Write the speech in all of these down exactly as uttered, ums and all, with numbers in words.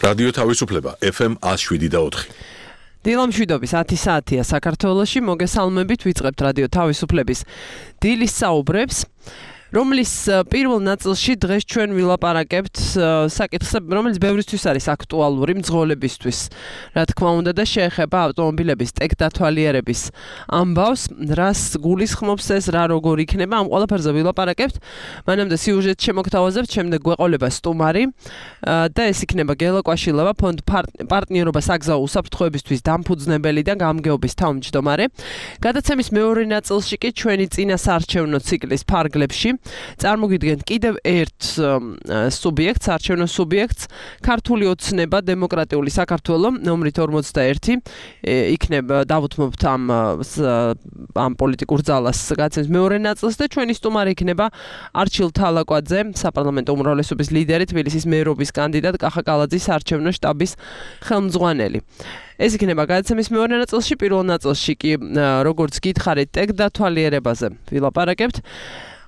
რადიო თავისუფლება ეფ ემ ათს შვიდი და ოთხი. დილამშვიდობის ათი საათია საქართველოში, მოგესალმებით, ვიწყებთ რადიო თავისუფლების დილის საუბრებს, რომლის პირველ ნაწილში დღეს ჩვენ ვილაპარაკებთ საკითხს, რომელიც ბევრისთვის არის აქტუალური მძღოლებისთვის. რა თქმა უნდა და შეეხება ავტომობილების ტექდათვალიერების ამბავს, რას გულისხმობს ეს, რა როგორ იქნება, ამ ყველაფერზე ვილაპარაკებთ. მანამდე სიუჟეტს შემოგთავაზებთ, შემდეგ გვეყოლება სტუმარი და ეს იქნება გელა კვაშილავა, ფონდ პარტნიორობა საგზაო უსაფრთხოებისთვის დამფუძნებელი და გამგეობის თავმჯდომარე. გადაცემის მეორე ნაწილში კი ჩვენი წინა საარჩევნო ციკლის ფარგლებში წარმოგიდგენთ კიდევ ერთ სუბიექტს, არჩევნო სუბიექტს, ქართული ოცნება დემოკრატიული საქართველო, ნომრით ორმოცდაერთი, იქნება დავუთმობთ ამ ამ პოლიტიკურ ძალას გადაცემის მეორე ნაწილს და ჩვენი სტუმარი იქნება არჩილ თალაკვაძე, საპარლამენტო უმრავლესობის ლიდერი, თბილისის მერობის კანდიდატ, კახაკალაძის არჩევნო შტაბის ხელმძღვანელი. ეს იქნება გადაცემის მეორე ნაწილში, პირველ ნაწილში კი როგორც გითხარით, ტექდათვალიერებაზე ვილაპარაკებთ.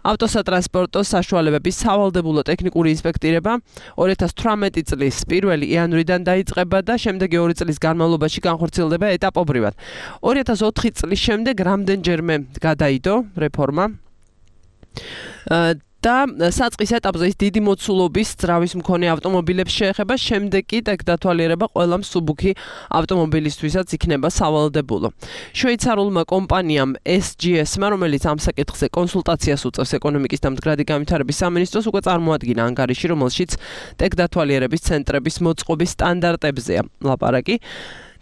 ავტოსატრანსპორტო საშუალებების სავალდებულო ტექნიკური ინსპექტირება ორი ათას თვრამეტი წლის პირველი იანვრიდან დაიწყება და შემდეგი ორი წლის განმავლობაში განხორციელდება ეტაპობრივად. ორი ათას ოთხი წლის შემდეგ რამდენჯერმე გადაიდო რეფორმა და საწყის ეტაპზე ის დიდი მოცულობის ძრავის მქონე ავტომობილებს შეეხება, შემდეგ კი ტექდათვალიერება ყველა მსუბუქი ავტომობილისთვისაც იქნება სავალდებულო. შვეიცარულმა კომპანიამ ეს ჯი ეს-მა, რომელიც ამ საკითხზე კონსულტაციას უწევს ეკონომიკის და მდგრადი განვითარების სამინისტროს, უკვე წარმოადგინა ანგარიში, რომელშიც ტექდათვალიერების ცენტრების მოწყობის სტანდარტებზეა ლაპარაკი.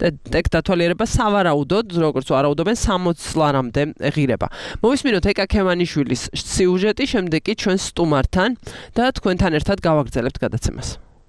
ტექდათვალიერება სავარაუდოდ, როგორც ვარაუდობენ, სამოც წლამდე ღირება. მოვისმინოთ ეკა ქემანიშვილის სიუჟეტი, შემდეგ კი ჩვენ სტუმართან და თქვენთან ერთად გავაგრძელებთ გადაცემას.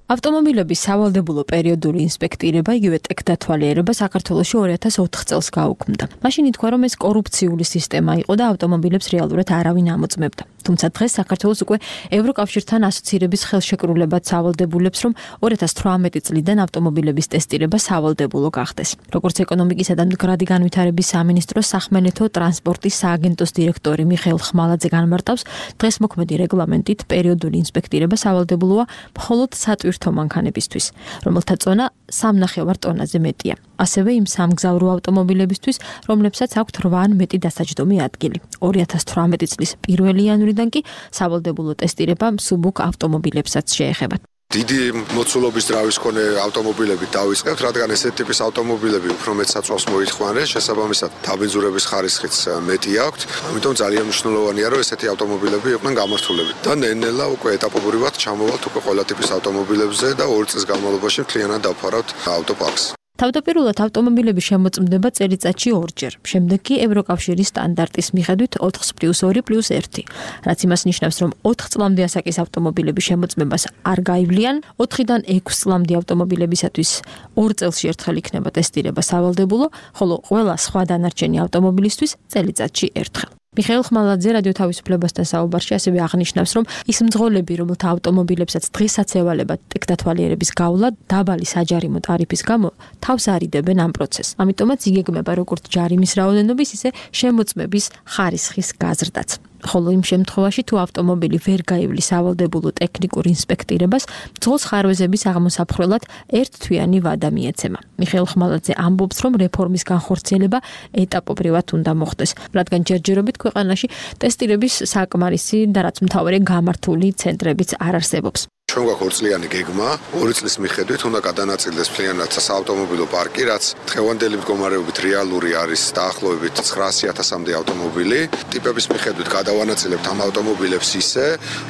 ავტომობილების სავალდებულო პერიოდული ინსპექტირება, იგივე ტექდათვალიერება საქართველოში ორი ათას ოთხ წელს გაუქმდა. მაშინ ითქვა, რომ ეს კორუფციული სისტემა იყო და ავტომობილებს რეალურად არავინ ამოწმებდა. თუმცა დღეს საქართველოს უკვე ევროკავშირთან ასოცირების ხელშეკრულებაც სავალდებულებს, რომ ორი ათას თვრამეტი წლიდან ავტომობილების ტესტირება სავალდებულო გახდეს. როგორც ეკონომიკისა და მდგრადი განვითარების სამინისტროს სახმელეთო ტრანსპორტის სააგენტოს დირექტორი მიხეილ ხმალაძე განმარტავს, დღეს მოქმედი რეგლამენტით პერიოდული ინსპექტირება სავალდებულოა მხოლოდ სატვირთო მანქანებისთვის, რომელთა წონა სამნახევარ ტონაზე მეტია. ასევე იმ სამგზავრო ავტომობილებისთვის, რომლებსაც აქვთ რვა ან მეტი დასაჯდომი ადგილი. ორი ათას თვრამეტი წლის პირველი იანვრიდან კი სავალდებულო ტესტირება მსუბუქ ავტომობილებსაც შეეხება. დიდი მოცულობის ძრავის მქონე ავტომობილებით დავიწყებთ, რადგან ესეთი ტიპის ავტომობილები უფრო მეტ საწვავს მოითხოვენ, შესაბამისად დაბინძურების ხარისხიც მეტი აქვთ. ამიტომ ძალიან მნიშვნელოვანია, რომ ესეთი ავტომობილები იყვნენ გამართულებით. და ნელ-ნელა უკვე ეტაპობრივად ჩამოვალთ უკვე ყველა ტიპის ავტომობილებზე და ორი წლის განმავლობაში მთლიანად დავფარავთ ავტოპარკს. თავდაპირველად ავტომობილები შემოწმდება წელიწადში ორჯერ, შემდეგ კი ევროკავშირის სტანდარტის მიხედვით ოთხ პლუს ორი პლუს ერთი, რაც იმას ნიშნავს, რომ ოთხ წლამდე ასაკის ავტომობილების შემოწმებას არ გაივლიან, ოთხიდან ექვს წლამდე ავტომობილებისათვის ორ წელში ერთხელ იქნება ტესტირება სავალდებულო, ხოლო ყველა სხვა დანარჩენი ავტომობილისთვის წელიწადში ერთხელ. მიხეილ ხმალაძე რადიო თავისუფლებასთან საუბარში ასევე აღნიშნავს, რომ ის მძღოლები, რომელთა ავტომობილებსაც დღესაც ევალებათ ტექდათვალიერების გავლა დაბალი საჯარიმო ტარიფის გამო, თავს არიდებენ ამ პროცესს. ამიტომაც იგეგმება როგორც ჯარიმის რაოდენობის, ისე შემოწმების ხარისხის გაზრდაც. ხოლო იმ შემთხვევაში, თუ ავტომობილი ვერ გაივლის სავალდებულო ტექნიკურ ინსპექტირებას, მძღოლს ხარვეზების აღმოსაფხრელად ერთთვიანი ვადა მიეცემა. მიხეილ ხმალაძე ამბობს, რომ რეფორმის განხორციელება ეტაპობრივად უნდა მოხდეს, რადგან ჯერჯერობით ქვეყანაში ტესტირების საკმარისი და რაც მთავარია გამართული ცენტრებიც არ არსებობს. ჩვენ გვაქვს ორწლიანი გეგმა, ორი წლის მიხედვით უნდა გადანაწილდეს მთლიანად საავტომობილო პარკი, რაც დღევანდელი მდგომარეობით რეალური არის დაახლოებით ცხრაასი ათასამდე ავტომობილი. ტიპების მიხედვით გადავანაწილებთ ამ ავტომობილებს ისე,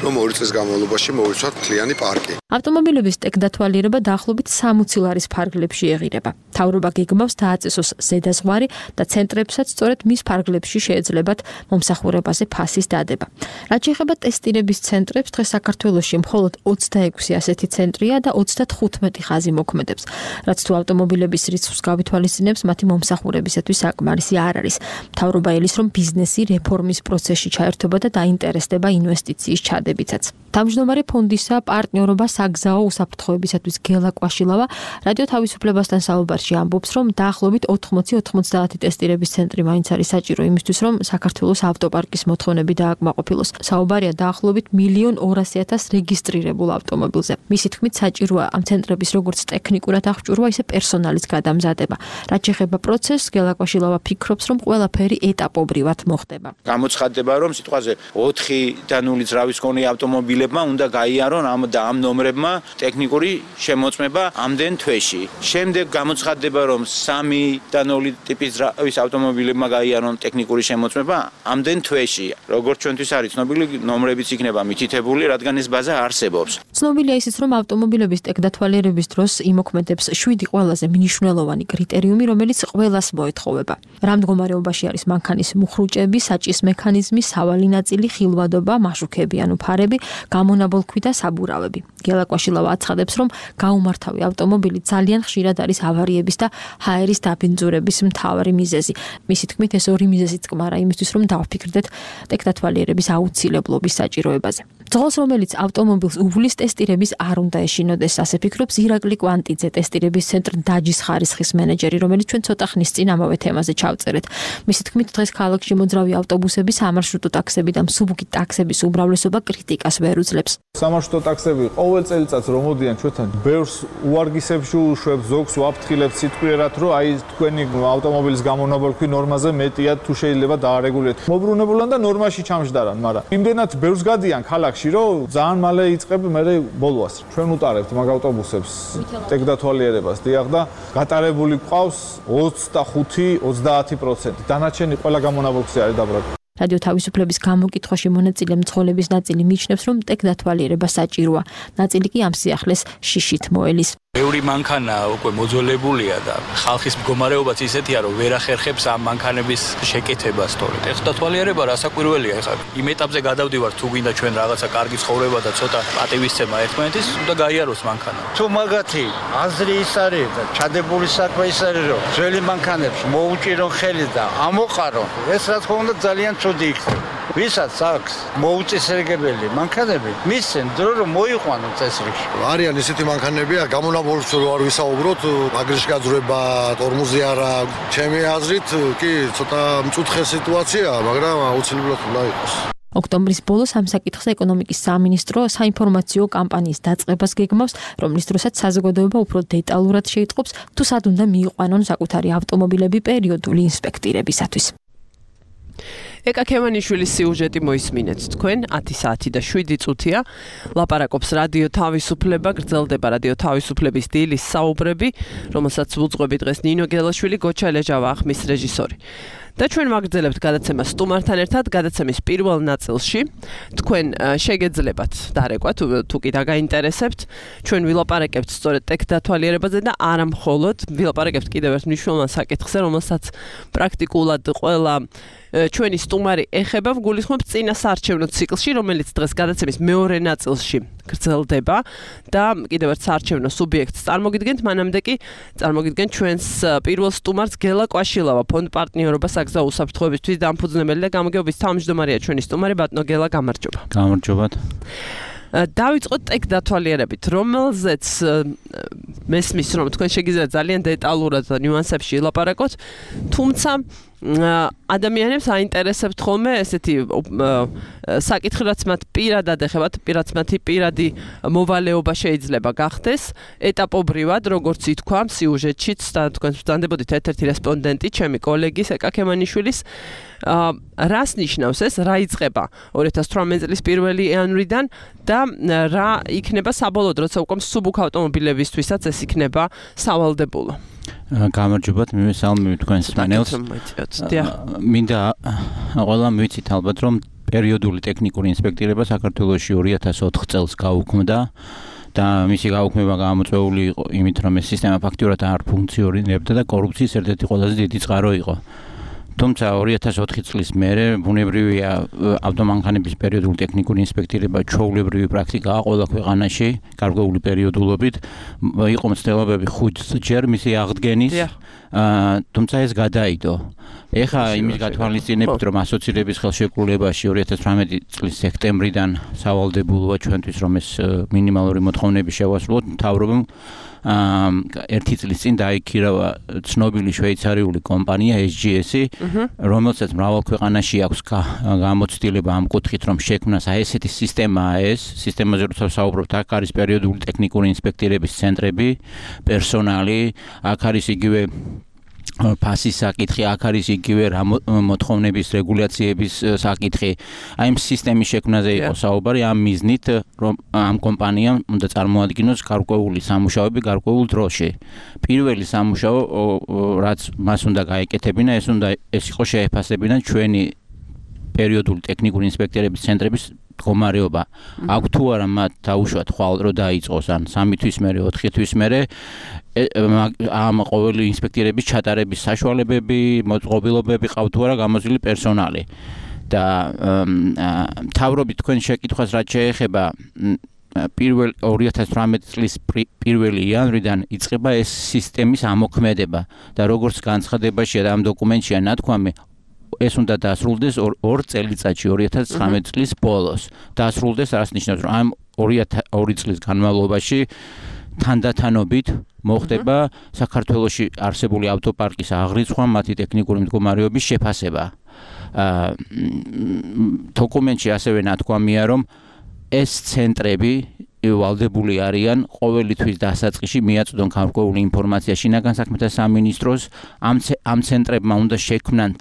რომ ორი წლის განმავლობაში მოვიცვათ მთლიანი პარკი. ავტომობილების ტექდათვალიერება დაახლოებით სამოცი ლარის ფარგლებში ეღირება. მთავრობა გეგმავს დააწესოს ზედაზღვარი და ცენტრებსაც სწორედ მის ფარგლებში შეეძლებათ მომსახურებაზე ფასის დადება. რაც შეეხება ტესტირების ცენტრებს, დღეს საქართველოში მხოლოდ ოცდაექვსი ასეთი ცენტრია და ოცდათხუთმეტი ხაზი მოქმედებს. რაც თუ ავტომობილების რიცხვს გავითვალისწინებს, მათი მომსახურებისათვის საკმარისი არ არის. მთავრობა ელის, რომ ბიზნესი რეფორმის პროცესში ჩაერთვება და დაინტერესდება ინვესტიციის ჩადებითაც. თავმჯდომარე ფონდისა პარტნიორობა საგზაო უსაფრთხოებისათვის გელა კვაშილავა რადიო თავისუფლებასთან საუბარში ელარში ამბობს, რომ დაახლოებით ოთხმოცი ოთხმოცდაათი ტესტირების ცენტრი მაინც არის საჭირო იმისთვის, რომ საქართველოს ავტოპარკის მოთხოვნები დააკმაყოფილოს. საუბარია დაახლოებით მილიონ ორასი ათას რეგისტრირებულ ავტომობილზე. მისი თქმით, საჭიროა ამ ცენტრების როგორც ტექნიკურად აღჭურვა, ისე პერსონალის გადამზადება. რაც შეეხება პროცესს, გელაკვაშილავა ფიქრობს, რომ ყველაფერი ეტაპობრივად მოხდება. გამოცხადდება, რომ სიტყვაზე ოთხი და ნული ძრავის მქონე ავტომობილებმა უნდა გაიარონ ამ და ამ ნომრებმა ტექნიკური შემოწმება ამდენ თვეში. შემდეგ გამოცხადდება, რომ სამი და ნული ტიპის ძრავის ავტომობილებმა გაიარონ ტექნიკური შემოწმება ამდენ თვეში. როგორც ჩვენთვის არის ცნობილი, ნომრებიც იქნება მითითებული, რადგან ეს ბაზა არსებობს. ცნობილია ისიც, რომ ავტომობილების ტექდათვალიერების დროს იმოქმედებს შვიდი ყველაზე მნიშვნელოვანი კრიტერიუმი, რომელიც ყველას მოეთხოვება. რა მდგომარეობაში არის მანქანის მუხრუჭები, საჭის მექანიზმი, სავალი ნაწილი, ხილვადობა, მაშუქები ანუ ფარები, გამონაბოლქვი და საბურავები. გელაკვაშილავა აცხადებს, რომ გაუმართავი ავტომობილი ძალიან ხშირად არის ავარიების და ჰაერის დაბინძურების მთავარი მიზეზი. მისი თქმით, ეს ორი მიზეზი წყმარა იმისთვის, რომ დავფიქრდეთ ტექდათვალიერების აუცილებლობის საჭიროებაზე. ძღოლს, რომელიც ავტომობილს უვლის ტესტირების არ უნდა ეშინოდეს, ასე ფიქრობს ირაკლი კვანტიძე, ტესტირების ცენტრ დაჯის ხარისხის მენეჯერი, რომელიც ჩვენ ცოტა ხნის წინ ამავე თემაზე ჩავწერეთ. მისი თქმით, დღეს ქალაქში მოძრავი ავტობუსები, სამარშრუტო ტაქსები და მსუბუქი ტაქსების უმრავლესობა კრიტიკას ვერ უძლებს. სამარშრუტო ტაქსები ყოველ წელიწადს რომ მოდიან ჩვენთან, ბევრს უარგისებში უშვებს, ზოგს ვაფრთხილებს სიტყვიერად, რომ აი თქვენი ავტომობილის გამონაბოლქვი ნორმაზე მეტია, თუ შეიძლება დაარეგულიროთ. მოbrunებულან და ნორმაში ჩამჯდარან, მაგრამ იმდენად ბევრს გადიან ქალაქში, რომ ძალიან მალე იწყებ მე ბოლოას. ჩვენ უტარებთ მაგ ავტობუსებს ტექდათვალიერებას, დიახ და გატარებული ყავს ოცდახუთი ოცდაათი პროცენტი. დანარჩენი ყველა გამონაბოლქვზე არის დაბრუნებული. რადიო თავისუფლების გამოკითხვაში მონაწილე მცხოვრების ნაწილი მიიჩნევს, რომ ტექდათვალიერება საჭიროა. ნაწილი კი ამ სიახლეს შიშით მოელის. ბევრი მანქანა უკვე მოძველებულია და ხალხის მდგომარეობაც ისეთია, რომ ვერ ახერხებს ამ მანქანების შეკეთებას, თორე ტექდათვალიერება რასაკვირველია. ეხლა იმ ეტაპზე გადავდივართ, თუ გინდა ჩვენ რაღაცა კარგი ცხოვრება და ცოტა პატივისცემა ერთმანეთის, უნდა გაიაროს მანქანა. თუ მაგათი აზრი ის არის და ჩადებული საქმე ის არის, რომ ძველი მანქანებს მოუჭირონ ხელი და ამოყარონ, ეს რა თქმა უნდა ძალიან ცუდი იქნება. ვისაც აქვს მოუწესრიგებელი მანქანები, მისცენ დრო რომ მოიყვანონ წესრიგში. არიან ისეთი მანქანებია, გამონაბოლქვს რო არ ვისაუბროთ, აგრეშ გაძრება, ტორმოზი არა, ჩემი აზრით კი ცოტა მწუთხე სიტუაციაა, მაგრამ აუცილებლად უნდა იყოს. ოქტომბრის ბოლოს ამ საკითხზე ეკონომიკის სამინისტრო საინფორმაციო კამპანიის დაწყებას გეგმავს, რომლის დროსაც საზოგადოება უფრო დეტალურად შეიტყობს, თუ სად უნდა მიიყვანონ საკუთარი ავტომობილები პერიოდული ინსპექტირებისათვის. ეკა ქემანიშვილის სიუჟეტი მოისმინეთ თქვენ ათი საათი და შვიდი წუთია ლაპარაკობს რადიო თავისუფლება გრძელდება რადიო თავისუფლების დილის საუბრები რომელსაც უძღვები დღეს ნინო გელაშვილი გოჩა ლეჟავა ახმის რეჟისორი და ჩვენ ვაგრძელებთ გადაცემას სტუმართან ერთად გადაცემის პირველ ნაწილში თქვენ შეგეძლებათ დარეკვა თუ კი დაგაინტერესებთ ჩვენ ვილაპარაკებთ სწორედ ტექდათვალიერებაზე და არა მხოლოდ ვილაპარაკებთ კიდევ ერთ მნიშვნელოვან საკითხზე რომელსაც პრაქტიკულად ყველა ჩვენი სტუმარი ეხება გულისხმობს წინა საარჩევნო ციკლში, რომელიც დღეს გადაცემის მეორე ნაწილში გრძელდება და კიდევ ერთ საარჩევნო სუბიექტს წარმოგიდგენთ, მანამდე კი წარმოგიდგენთ ჩვენს პირველ სტუმარს გელა კვაშილავა, ფონდ პარტნიორობა საგზაო უსაფრთხოებისთვის დამფუძნებელი და გამგეობის თავმჯდომარეა ჩვენი სტუმარი ბატონო გელა, გამარჯობა. გამარჯობათ. დავიწყოთ ტექდათვალიერებით, რომელზეც მესმის რომ თქვენ შეგიძლიათ ძალიან დეტალურად და ნიუანსებში ილაპარაკოთ, თუმცა ადამიანებს აინტერესებთ ხოლმე ესეთი საკითხი რაც მათ პირადად ეხებათ, რაც მათი პირადი მოვალეობა შეიძლება გახდეს ეტაპობრივად, როგორც ითქვა სიუჟეტშიც და თქვენ ვწანდებოდით ერთ-ერთი რესპონდენტი, ჩემი კოლეგის ეკა ქემანიშვილის რას ნიშნავს ეს, რა იწყება ორი ათას თვრამეტი წლის პირველი იანვრიდან და რა იქნება საბოლოოდ, როცა უკვე მსუბუქ ავტომობილებისთვისაც ეს იქნება სავალდებულო. გამარჯობათ, მივესალმები თქვენს მენელს. მინდა ყველამ ვიცით ალბათ, რომ პერიოდული ტექნიკური ინსპექტირება საქართველოში ორი ათას ოთხ წელს გაუქმდა და მისი გაუქმება გამოწვეული იყო იმით, რომ ეს სისტემა ფაქტიურად არ ფუნქციონირებდა და კორუფციის ერთ-ერთი ყველაზე დიდი წყარო იყო. თუმცა ორი ათას ოთხი წლის მერე ბუნებრივია ავტომანქანების პერიოდული ტექნიკური ინსპექტირება ჩვეულებრივი პრაქტიკაა ყველა ქვეყანაში გარკვეული პერიოდულობით იყო მცდელობები ხუთჯერ მისი აღდგენის თუმცა ეს გადაიდო ეხლა იმის გათვალისწინებით რომ ასოცირების ხელშეკრულებაში ორი ათას თვრამეტი წლის სექტემბრიდან სავალდებულოა ჩვენთვის რომ ეს მინიმალური მოთხოვნები შევასრულოთ მთავრობამ ერთი წლის წინ დაიქირავა ცნობილი შვეიცარიული კომპანია ეს ჯი ესი, რომელსაც მრავალ ქვეყანაში აქვს გამოცდილება ამ კუთხით, რომ შექმნას აი ესეთი სისტემაა ეს, სისტემაზე როცა ვსაუბრობთ, აქ არის პერიოდული ტექნიკური ინსპექტირების ცენტრები, პერსონალი, აქ არის იგივე ფასის საკითხი, აქ არის იგივე მოთხოვნების რეგულაციების საკითხი. აი ამ სისტემის შექმნაზე იყო საუბარი, ამ მიზნით, რომ ამ კომპანიამ უნდა წარმოადგინოს გარკვეული სამუშაოები გარკვეულ დროში. პირველი სამუშაო, რაც მას უნდა გაეკეთებინა, ეს უნდა ეს იყო შეეფასებინა ჩვენი პერიოდული ტექნიკური ინსპექტირების ცენტრების მდგომარეობა. აქ თუ არა მათ დაუშვათ ხვალ რო დაიწყოს ან სამი თვის მერე, ოთხი თვის მერე ამ ყოველი ინსპექტირების ჩატარების საშუალებები, მოწყობილობები ყავთ თუ არა გამოძილი პერსონალი. და მთავრობით თქვენ შეკითხვას რაც შეეხება პირველ ორი ათას თვრამეტი წლის პირველი იანვრიდან იწყება ეს სისტემის ამოქმედება და როგორც განცხადებაშია და ამ დოკუმენტშია ნათქვამი ეს უნდა დასრულდეს ორ წელიწადში ორი ათას ცხრამეტი წლის ბოლოს. დასრულდეს რაც ნიშნავს, რომ ამ ორი წლის განმავლობაში თანდათანობით მოხდება საქართველოში არსებული ავტოპარკის აღრიცხვა, მათი ტექნიკური მდგომარეობის შეფასება. დოკუმენტში ასევე ნათქვამია, რომ ეს ცენტრები ვალდებული არიან ყოველი თვის დასაწყისში მიაწვდონ გარკვეული ინფორმაცია შინაგან საქმეთა სამინისტროს, ამ ამ ცენტრებმა უნდა შექმნან,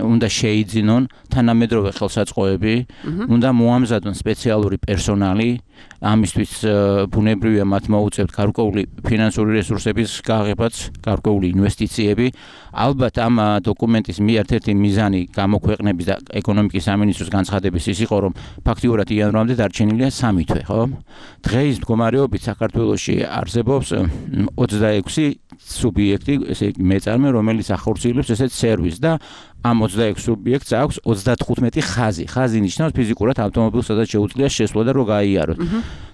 უნდა შეიძინონ თანამედროვე ხელსაწყოები, უნდა მოამზადონ სპეციალური პერსონალი, ამისთვის ბუნებრივია მათ მოუწევთ გარკვეული ფინანსური რესურსების გაღებაც, გარკვეული ინვესტიციები. ალბათ ამ დოკუმენტის ერთ-ერთი მიზანი გამოქვეყნების და ეკონომიკის სამინისტროს განცხადების ის იყო, რომ ფაქტიურად იანვრამდე დარჩენილია სამი თვე, ხო? დღეის მდგომარეობით საქართველოში არსებობს ოცდაექვსი სუბიექტი, ესე იგი მეწარმე, რომელიც ახორციელებს ესეთ სერვისს და ამ ოცდაექვსი სუბიექტს აქვს ოცდათხუთმეტი ხაზი. ხაზი ნიშნავს ფიზიკურად ავტომობილს, სადაც შეუძლია შესვლა და რო გაიაროთ.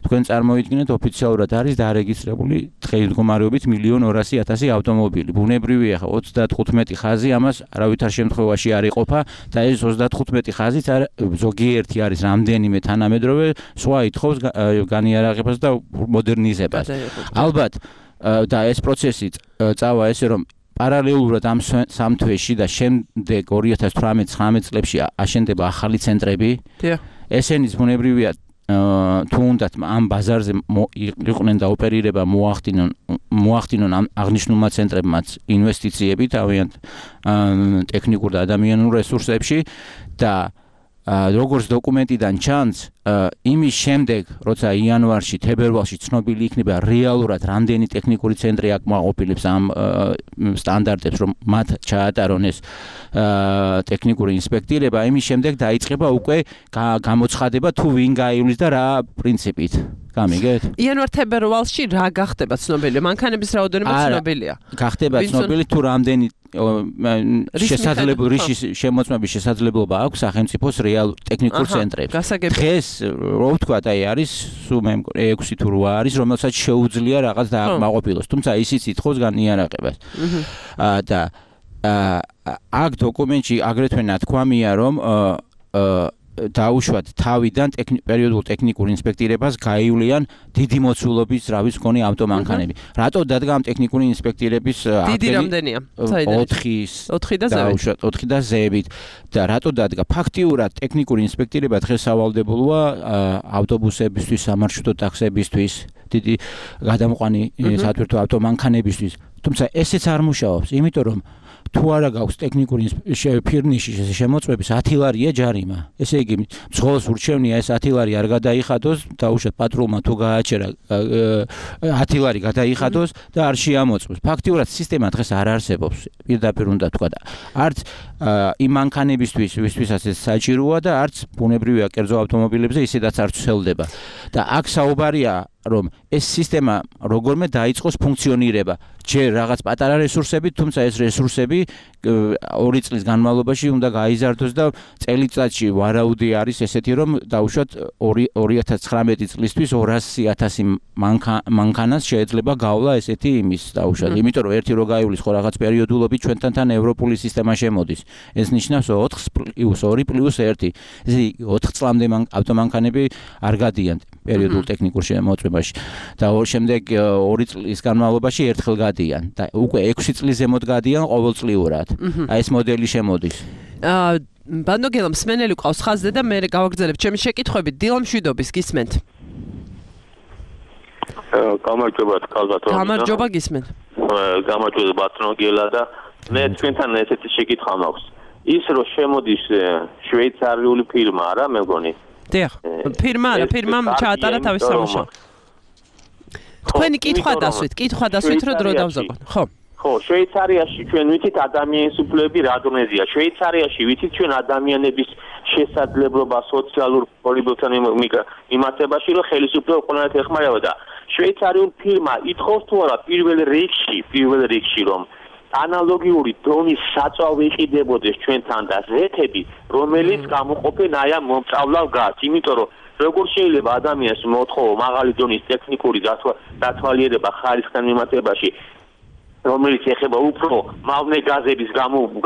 თქვენ წარმოიდგინეთ, ოფიციალურად არის დარეგისტრირებული დღეის მდგომარეობით მილიონი ორასი ათასი ავტომობილი. ბუნებრივია, ხო, ოცდათხუთმეტი ხაზი ამას არავითარ შემთხვევაში არ იყოფა და ეს ოცდათხუთმეტი ხაზიც ზოგიერთი არის რამდენიმე თანამედროვე, სხვა ითხოვს განიარაღებას და მოდერნიზებას. ალბათ და ეს პროცესი წავა ესე, რომ პარალელურად ამ სამ თვეში და შემდეგ ორი ათას თვრამეტი ცხრამეტი წლებში აშენდება ახალი ცენტრები. ესენიც ბუნებრივია თუ უნდათ ამ ბაზარზე იყვნენ და ოპერირება მოახდინონ მოახდინონ ამ აღნიშნულმა ცენტრებმაც ინვესტიციები თავიანთ ტექნიკურ და ადამიანურ რესურსებში და როგორც დოკუმენტიდან ჩანს, იმის შემდეგ, როცა იანვარში, თებერვალში ცნობილი იქნება რეალურად რამდენი ტექნიკური ცენტრი აკმაყოფილებს ამ სტანდარტებს, რომ მათ ჩაატარონ ეს ტექნიკური ინსპექტირება, იმის შემდეგ დაიწყება უკვე გამოცხადება თუ ვინ გაივლის და რა პრინციპით. გამიგეთ? იანვარ-თებერვალში რა გახდება ცნობილი? მანქანების რაოდენობა ცნობილია. გახდება ცნობილი თუ რამდენი შესაძლებლობა რიშის შემოწმების შესაძლებლობა აქვს სახელმწიფოს რეალ ტექნიკურ ცენტრებს. დღეს რო ვთქვათ, აი არის სულ მე ექვსი თუ რვა არის, რომელსაც შეუძლია რაღაც დააკმაყოფილოს, თუმცა ისიც ითხოვს განიარაღებას. და აქ დოკუმენტში აგრეთვე ნათქვამია, რომ დაუშვათ თავიდან პერიოდულ ტექნიკურ ინსპექტირებას გაივლიან დიდი მოცულობის ზრავის მქონე ავტომანქანები. რატო დადგა ამ ტექნიკური ინსპექტირების დიდი რამდენია? ოთხი და ზევით. და რატო დადგა? ფაქტიურად ტექნიკური ინსპექტირება დღეს სავალდებულოა ავტობუსებისთვის, სამარშრუტო ტაქსებისთვის, დიდი გადამყვანი სათვირთო ავტომანქანებისთვის. თუმცა ესეც არ მუშაობს, იმიტომ რომ თუ არა გაქვს ტექნიკური ფირნიშის შემოწმების ათი ლარია ჯარიმა. ესე იგი, მძღოლს ურჩევნია ეს ათი ლარი არ გადაიხადოს, დაუშვათ პატრულმა თუ გააჩერა ათი ლარი გადაიხადოს და არ შეამოწმოს. ფაქტიურად სისტემა დღეს არ არსებობს, პირდაპირ უნდა თქვა და არც იმ მანქანებისთვის, ვისთვისაც ეს საჭიროა და არც ბუნებრივია კერძო ავტომობილებზე ისედაც არ ცელდება. და აქ საუბარია რომ ეს სისტემა როგორმე დაიწყოს ფუნქციონირება. ჯერ რაღაც პატარა რესურსები, თუმცა ეს რესურსები ორი წლის განმავლობაში უნდა გაიზარდოს და წელიწადში ვარაუდი არის ესეთი, რომ დაუშვათ ორი ათას ცხრამეტი წლისთვის ორასი ათასი მანქანას შეიძლება გავლა ესეთი იმის დაუშვათ. იმიტომ რომ ერთი რო გაივლის ხო რაღაც პერიოდულობით ჩვენთან თან ევროპული სისტემა შემოდის. ეს ნიშნავს ოთხ პლუს ორი პლუს ერთი. ესე იგი ოთხ წლამდე ავტომანქანები არ გადიან. პერიოდულ ტექნიკურ შემოწმებაში და ორ შემდეგ ორი წლის განმავლობაში ერთხელ გადიან და უკვე ექვსი წლის ზემოთ გადიან ყოველწლიურად. აი ეს მოდელი შემოდის. აა ბანდოგელა მსმენელი ყავს ხაზზე და მე გავაგრძელებ ჩემი შეკითხვები დილა მშვიდობის გისმენთ. გამარჯობა თქალბატონო. გამარჯობა გისმენთ. გამარჯობა ბატონოგელა და მე თქვენთან ესეთი შეკითხვა მაქვს. ის რო შემოდის შვეიცარიული ფირმა არა მე მგონი. დიახ, ფირმა არა, ფირმამ ჩაატარა თავის სამუშაო. თქვენი კითხვა დასვით, კითხვა დასვით რო დრო დავზაგოთ. ხო. ხო, შვეიცარიაში ჩვენ ვიცით ადამიანის უფლებები რა დონეზეა. შვეიცარიაში ვიცით ჩვენ ადამიანების შესაძლებლობა სოციალურ პოლიტიკასთან მიმართებაში რომ ხელისუფლება ყველანაირად ეხმარება და შვეიცარიულ ფირმა ითხოვს თუ არა პირველ რიგში, პირველ რიგში რომ ანალოგიური დონის საწვავი იყიდებოდეს ჩვენთან და ზეთები, რომელიც გამოყოფენ აი ამ მომწავლავ გაზს, იმიტომ რომ როგორ შეიძლება ადამიანს მოთხოვო მაღალი დონის ტექნიკური დათვალიერება ხარისხთან მიმართებაში, რომელიც ეხება უფრო მავნე გაზების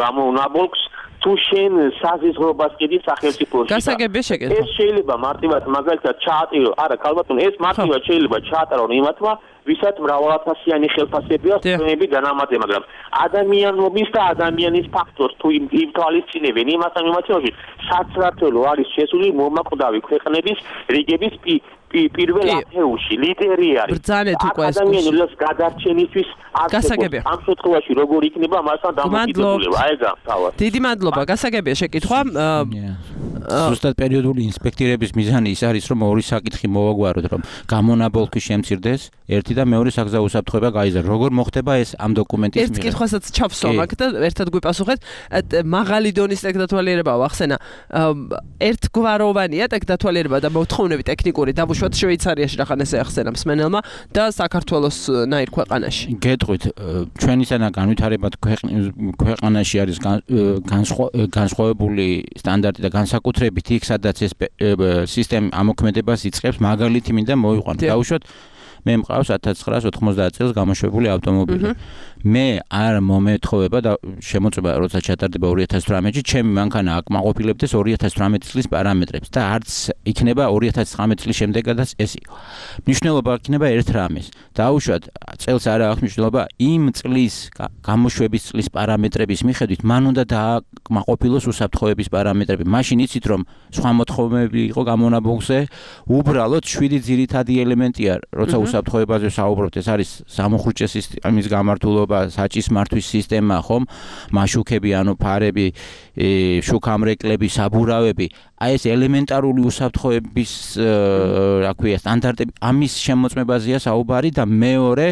გამონაბოლქს, თუ შენ საზღვრობას კიდი სახელმწიფოში. გასაგებია შეკითხვა. ეს შეიძლება მარტივად მაგალითად ჩაატირო, არა, ქალბატონო, ეს მარტივად შეიძლება ჩაატარონ იმათმა, ვისაც მრავალათასიანი ხელფასები აქვს ჩვენები დანამატე, მაგრამ ადამიანობის და ადამიანის ფაქტორს თუ იმთვალისწინებენ იმასთან მიმართებაში, საცრათელო არის შესული მომაკვდავი ქვეყნების რიგების პირველ ათეულში ლიდერი არის. ბრძანეთ უკვე ეს ადამიანის გადარჩენისთვის გასაგებია. ამ შემთხვევაში როგორ იქნება მასთან დამოკიდებულება? აი ეს თავად. დიდი მადლობა, გასაგებია შეკითხვა. ზუსტად პერიოდული ინსპექტირების მიზანი ის არის, რომ ორი საკითხი მოვაგვაროთ, რომ გამონაბოლქვი შემცირდეს, ერთი და მეორე საგზაო უსაფრთხოება გაიზარდოს. როგორ მოხდება ეს ამ დოკუმენტის ერთ კითხვასაც ჩავსვამ აქ და ერთად გვიპასუხეთ. მაღალი დონის ტექნიკათვალიერება ახსენა. ერთგვაროვანია ტექნიკათვალიერება და მოთხოვნები ტექნიკური დავუშვათ შვეიცარიაში რახან ესე ახსენა მსმენელმა და საქართველოს ნაირ ქვეყანაში. გეტყვით, ჩვენისანა განვითარებად ქვეყანაში არის განსხვავებული სტანდარტი და განსაკუთრებით იქ, სადაც ეს სისტემა ამოქმედებას იწყებს, მაგალითი მინდა მოვიყვანო. დავუშვათ მე მყავს ათას ცხრაასი ოთხმოცდაათ წელს გამოშვებული ავტომობილი. მე არ მომეთხოვება და შემოწმება როცა ჩატარდება ორი ათას თვრამეტში, ჩემი მანქანა აკმაყოფილებდეს ორი ათას თვრამეტი წლის პარამეტრებს და არც იქნება ორი ათას ცხრამეტი წლის შემდეგაც ეს იყო. მნიშვნელობა იქნება ერთ რამეს. დაუშვათ წელს არა აქვს მნიშვნელობა იმ წლის გამოშვების წლის პარამეტრების მიხედვით, მან უნდა დააკმაყოფილოს უსაფრთხოების პარამეტრები. მაშინ იცით რომ სხვა მოთხოვნები იყო გამონაბოლქვზე, უბრალოდ შვიდი ძირითადი ელემენტია, როცა უსაფრთხოებაზე საუბრობთ, ეს არის სამოხრუჭე სისტემის გამართულობა, საჭის მართვის სისტემა, ხომ? მაშუქები, ანუ ფარები, შუქამრეკლები, საბურავები, აი ეს ელემენტარული უსაფრთხოების, რა ქვია, სტანდარტები, ამის შემოწმებაზეა საუბარი და მეორე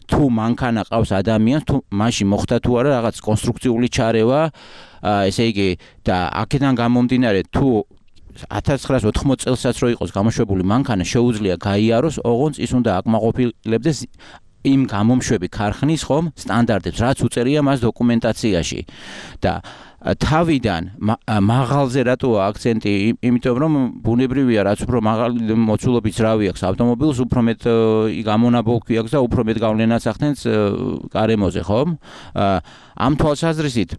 თუ მანქანა ყავს ადამიანს, თუ მაშინ მოხდა თუ არა რაღაც კონსტრუქციული ჩარევა, ესე იგი და აქედან გამომდინარე თუ ათას ცხრაასი ოთხმოცდაათ წელსაც რო იყოს გამოშვებული მანქანა შეუძლია გაიაროს, ოღონდ ის უნდა აკმაყოფილებდეს იმ გამომშვები ქარხნის ხომ სტანდარტებს, რაც უწერია მას დოკუმენტაციაში. და თავიდან მაღალზე რატოა აქცენტი? იმიტომ რომ ბუნებრივია, რაც უფრო მაღალი მოცულობის ძრავი აქვს ავტომობილს, უფრო მეტ გამონაბოლქვი აქვს და უფრო მეტ გავლენას ახდენს გარემოზე, ხომ? ამ თვალსაზრისით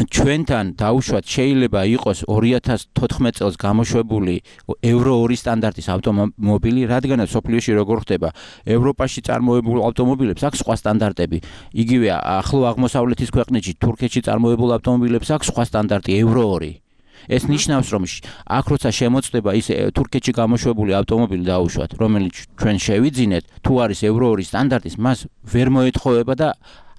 ჩვენთან დაუშვათ შეიძლება იყოს ორი ათას თოთხმეტ წელს გამოშვებული ევრო ორი სტანდარტის ავტომობილი, რადგანაც სოფლიოში როგორ ხდება, ევროპაში წარმოებულ ავტომობილებს აქვს სხვა სტანდარტები. იგივე ახლო აღმოსავლეთის ქვეყნებში, თურქეთში წარმოებულ ავტომობილებს აქვს სხვა სტანდარტი ევრო ორი. ეს ნიშნავს, რომ აქ როცა შემოწდება ის თურქეთში გამოშვებული ავტომობილი დაუშვათ, რომელიც ჩვენ შევიძინეთ, თუ არის ევრო ორი სტანდარტის, მას ვერ მოეთხოვება და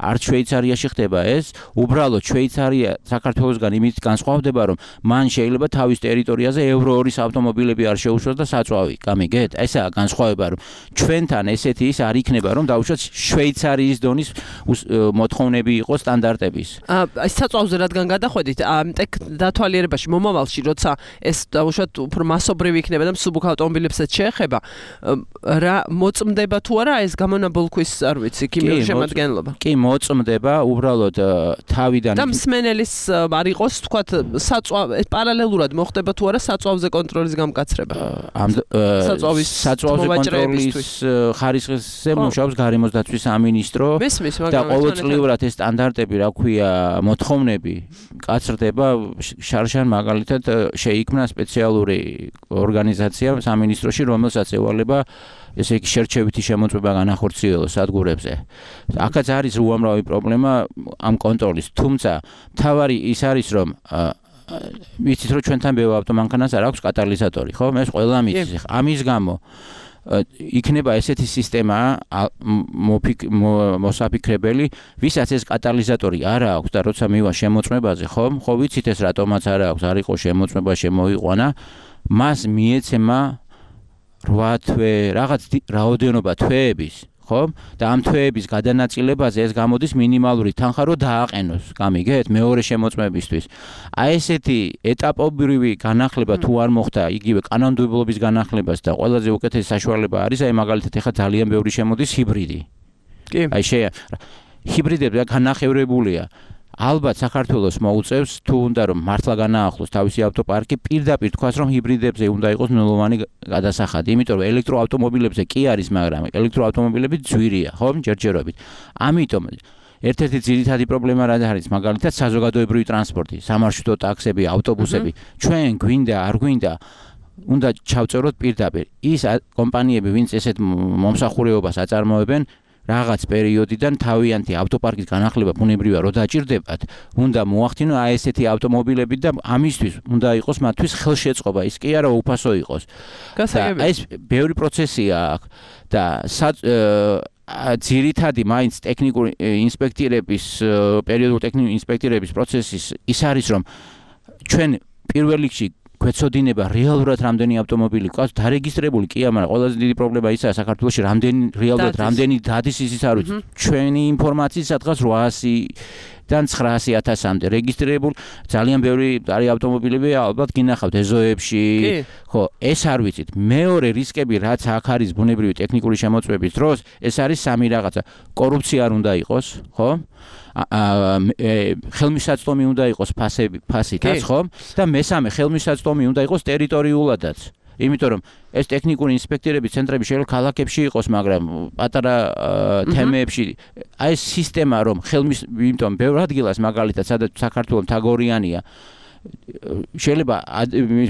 არც შვეიცარიაში ხდება ეს, უბრალოდ შვეიცარია საქართველოსგან იმით განსხვავდება, რომ მან შეიძლება თავის ტერიტორიაზე ევრო ორის ავტომობილები არ შეუშვას და საწვავი. გამიგეთ? ესაა განსხვავება, რომ ჩვენთან ესეთი ის არ იქნება, რომ დაუშვათ შვეიცარიის დონის მოთხოვნები იყოს სტანდარტების. აი საწვავზე რადგან გადახვედით, ამ დათვალიერებაში მომავალში, როცა ეს დაუშვათ უფრო მასობრივი იქნება და მსუბუქ ავტომობილებსაც შეეხება, რა მოწმდება თუ არა ეს გამონაბოლქვის, არ ვიცი, ქიმიური შემადგენლობა? კი, მოწმდება უბრალოდ თავიდან და მსმენელის არ იყოს თქვათ საწვავ პარალელურად მოხდება თუ არა საწვავზე კონტროლის გამკაცრება ამ საწვავის საწვავზე კონტროლის ხარისხზე მუშაობს გარემოს დაცვის სამინისტრო და ყოველწლიურად ეს სტანდარტები რა ქვია მოთხოვნები კაცრდება შარშან მაგალითად შეიქმნა სპეციალური ორგანიზაცია სამინისტროში რომელსაც ევალება ესე იგი შერჩევითი შემოწმება განახორციელოს სადგურებზე. აქაც არის უამრავი პრობლემა ამ კონტროლის. თუმცა თავარი ის არის რომ ვიცით რომ ჩვენთან ბევრ ავტომანქანას არ აქვს კატალიზატორი, ხო? ეს ყველა მიცის. ამის გამო იქნება ესეთი სისტემა მოსაფიქრებელი, ვისაც ეს კატალიზატორი არ აქვს და როცა მივა შემოწმებაზე, ხო? ხო ვიცით ეს რატომაც არ აქვს, არ იყო შემოწმება შემოიყვანა, მას მიეცემა რვა თვე, რაღაც რაოდენობა თვეების, ხო? და ამ თვეების გადანაწილებაზე ეს გამოდის მინიმალური თანხა რომ დააყენოს, გამიგეთ, მეორე შემოწმებისთვის. აი ესეთი ეტაპობრივი განახლება თუ არ მოხდა იგივე კანონმდებლობის განახლებას და ყველაზე უკეთესი საშუალება არის აი მაგალითად ეხლა ძალიან ბევრი შემოდის ჰიბრიდი. კი. აი შე ჰიბრიდები განახევრებულია. ალბათ საქართველოს მოუწევს თუ უნდა რომ მართლა განაახლოს თავისი ავტოპარკი პირდაპირ თქვას რომ ჰიბრიდებზე უნდა იყოს ნულოვანი გადასახადი, იმიტომ რომ ელექტროავტომობილებზე კი არის, მაგრამ ელექტროავტომობილები ძვირია, ხო, ჯერჯერობით. ამიტომ ერთ-ერთი ძირითადი პრობლემა რა არის, მაგალითად საზოგადოებრივი ტრანსპორტი, სამარშრუტო ტაქსები, ავტობუსები, ჩვენ გვინდა, არ გვინდა უნდა ჩავწეროთ პირდაპირ. ის კომპანიები, ვინც ესეთ მომსახურეობას აწარმოებენ რაღაც პერიოდიდან თავიანთი ავტოპარკის განახლება ბუნებრივია რომ დაჭირდებათ, უნდა მოახდინონ აი ესეთი ავტომობილები და ამისთვის უნდა იყოს მათთვის ხელშეწყობა, ის კი არა უფასო იყოს. გასაგებია. ეს ბევრი პროცესია აქვს და ძირითადი მაინც ტექნიკური ინსპექტირების პერიოდულ ტექნიკური ინსპექტირების პროცესის ის არის რომ ჩვენ პირველ რიგში გვეცოდინება რეალურად რამდენი ავტომობილი ყავს დარეგისტრებული კი არა, მაგრამ ყველაზე დიდი პრობლემა ისაა საქართველოში რამდენი რეალურად რამდენი დადის ისიც არ ვიცი. ჩვენი ინფორმაციის სადღაც ოთხასიდან ცხრაასი ათასამდე რეგისტრირებული ძალიან ბევრი არის ავტომობილები ალბათ გინახავთ ეზოებში, ხო, ეს არ ვიცით. მეორე რისკები რაც აქ არის ბუნებრივი ტექნიკური შემოწმების დროს, ეს არის სამი რაღაცა. კორუფცია არ უნდა იყოს, ხო? ხელმისაწვდომი უნდა იყოს ფასები, ფასითაც, ხო? და მესამე ხელმისაწვდომი უნდა იყოს ტერიტორიულადაც. იმიტომ რომ ეს ტექნიკური ინსპექტორების ცენტრები შეიძლება ქალაქებში იყოს, მაგრამ პატარა თემებში აი ეს სისტემა რომ ხელმის, იმიტომ ბევრ ადგილას მაგალითად სადაც საქართველოს თაგორიანია შეიძლება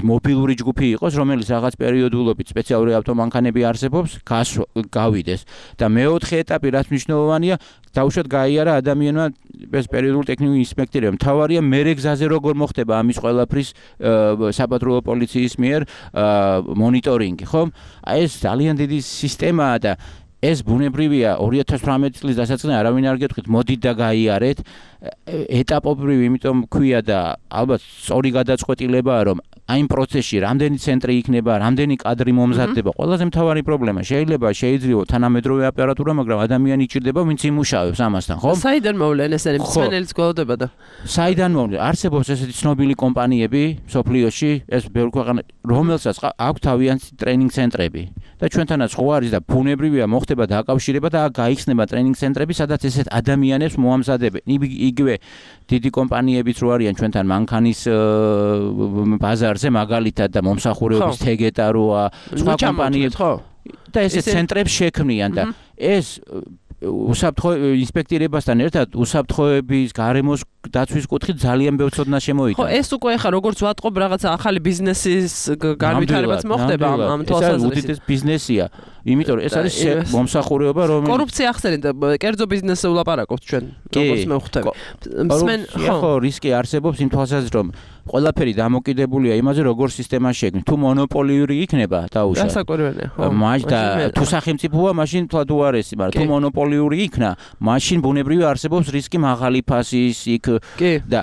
მობილური ჯგუფი იყოს, რომელიც რაღაც პერიოდულობით სპეციალური ავტომანქანები არსებობს, გავიდეს და მეოთხე ეტაპი რაც მნიშვნელოვანია, დაუშვათ გაიარა ადამიანმა ეს პერიოდული ტექნიკური ინსპექტორია. მთავარია მერე გზაზე როგორ მოხდება ამის ყველაფრის საპატრულო პოლიციის მიერ მონიტორინგი, ხო? აი ეს ძალიან დიდი სისტემაა და ეს ბუნებრივია ორი ათას თვრამეტი წლის დასაწყისში არავინ არ გეტყვით მოდით და გაიარეთ ეტაპობრივი, იმიტომ ქვია და ალბათ სწორი გადაწყვეტილებაა რომ აი იმ პროცესში რამდენი ცენტრი იქნება, რამდენი კადრი მომზადდება, ყველაზე მთავარი პრობლემა შეიძლება შეიძლება თანამედროვე აპარატურა, მაგრამ ადამიანი იჭირდება, ვინც იმუშავებს ამასთან, ხო? საიდან მოვლენ ესენი მსმენელიც გველოდება და საიდან მოვლენ? არსებობს ესეთი ცნობილი კომპანიები სოფლიოში, ეს ბევრ ქვეყანაში, რომელსაც აქვს თავიანთი ტრენინგ ცენტრები და ჩვენთანაც ხო არის და ბუნებრივია მოხდება დაკავშირება და გაიხსნება ტრენინგ ცენტრები, სადაც ესეთ ადამიანებს მოამზადებენ. იგივე დიდი კომპანიებიც რო არიან ჩვენთან მანქანის ბაზარზე მაგალითად და მომსახურეობის თეგეტა როა, სხვა კომპანიები ხო და ესეთ ცენტრებს შექმნიან და ეს უსაფრთხო ინსპექტირებასთან ერთად უსაფრთხოების გარემოს დაცვის კუთხით ძალიან ბევრ ცოდნა შემოიტანა. ხო, ეს უკვე ხა როგორც ვატყობ რაღაცა ახალი ბიზნესის განვითარებაც მოხდება ამ თვალსაზრისით. ეს უდიდეს ბიზნესია. იმიტომ რომ ეს არის მომსახურეობა, რომელიც კორუფცია ახსენეთ, კერძო ბიზნესზე ვლაპარაკობთ ჩვენ, როგორც მე ვხვდები. მსმენ ხო, რისკი არსებობს იმ თვალსაზრისით, რომ ყველაფერი დამოკიდებულია იმაზე, როგორ სისტემა შექმნით. თუ მონოპოლიური იქნება, დაუშვათ. გასაკვირველია, ხო. მაშინ და თუ სახელმწიფოა, მაშინ თლად უარესი, მაგრამ თუ მონოპოლიური იქნა, მაშინ ბუნებრივია არსებობს რისკი მაღალი ფასის იქ და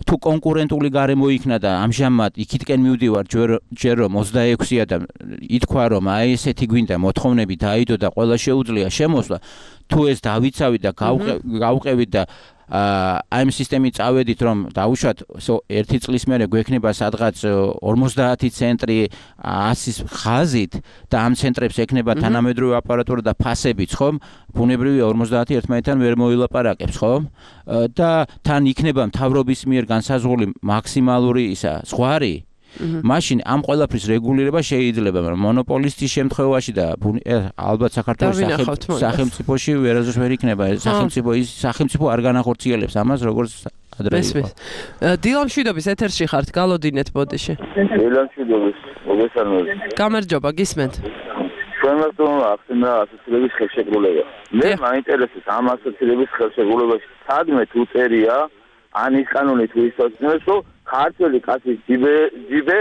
თუ კონკურენტული გარემო იქნა და ამჟამად იქითკენ მივდივარ ჯერ რომ ოცდაექვსია და ითქვა რომ აი ესეთი გვინდა მოთხოვნები დაიდო და ყველა შეუძლია შემოსვლა, თუ ეს დავიცავით და გავყევით და აი ამ სისტემით წავედით რომ დაუშვათ ერთი წლის მერე გვექნება სადღაც ორმოცდაათი ცენტრი ასის ხაზით და ამ ცენტრებს ექნება თანამედროვე აპარატურა და ფასებიც, ხომ? ბუნებრივია ორმოცდაათი ერთმანეთთან ვერ მოილაპარაკებს, ხომ? და თან იქნება მთავრობის მიერ განსაზღვრული მაქსიმალური ისა ზღვარი. მაშინ ამ ყველაფრის რეგულირება შეიძლება, მაგრამ მონოპოლისტის შემთხვევაში და ალბათ საქართველოს სახელმწიფოში ვერასდროს ვერ იქნება. სახელმწიფო ის სახელმწიფო არ განახორციელებს ამას, როგორც ადრე იყო. დილამშვიდობის ეთერში ხართ, გალოდინეთ ბოდიში. დილამშვიდობის, მოგესალმებით. გამარჯობა, გისმენთ. ჩვენს თვითონ ახსნა ასოცირების ხელშეკრულება. მე მაინტერესებს ამ ასოცირების ხელშეკრულებაში სადმე თუ წერია ან ის კანონი თუ ის წოდნეს, რომ ქართველი კაცის ჯიბე ჯიბე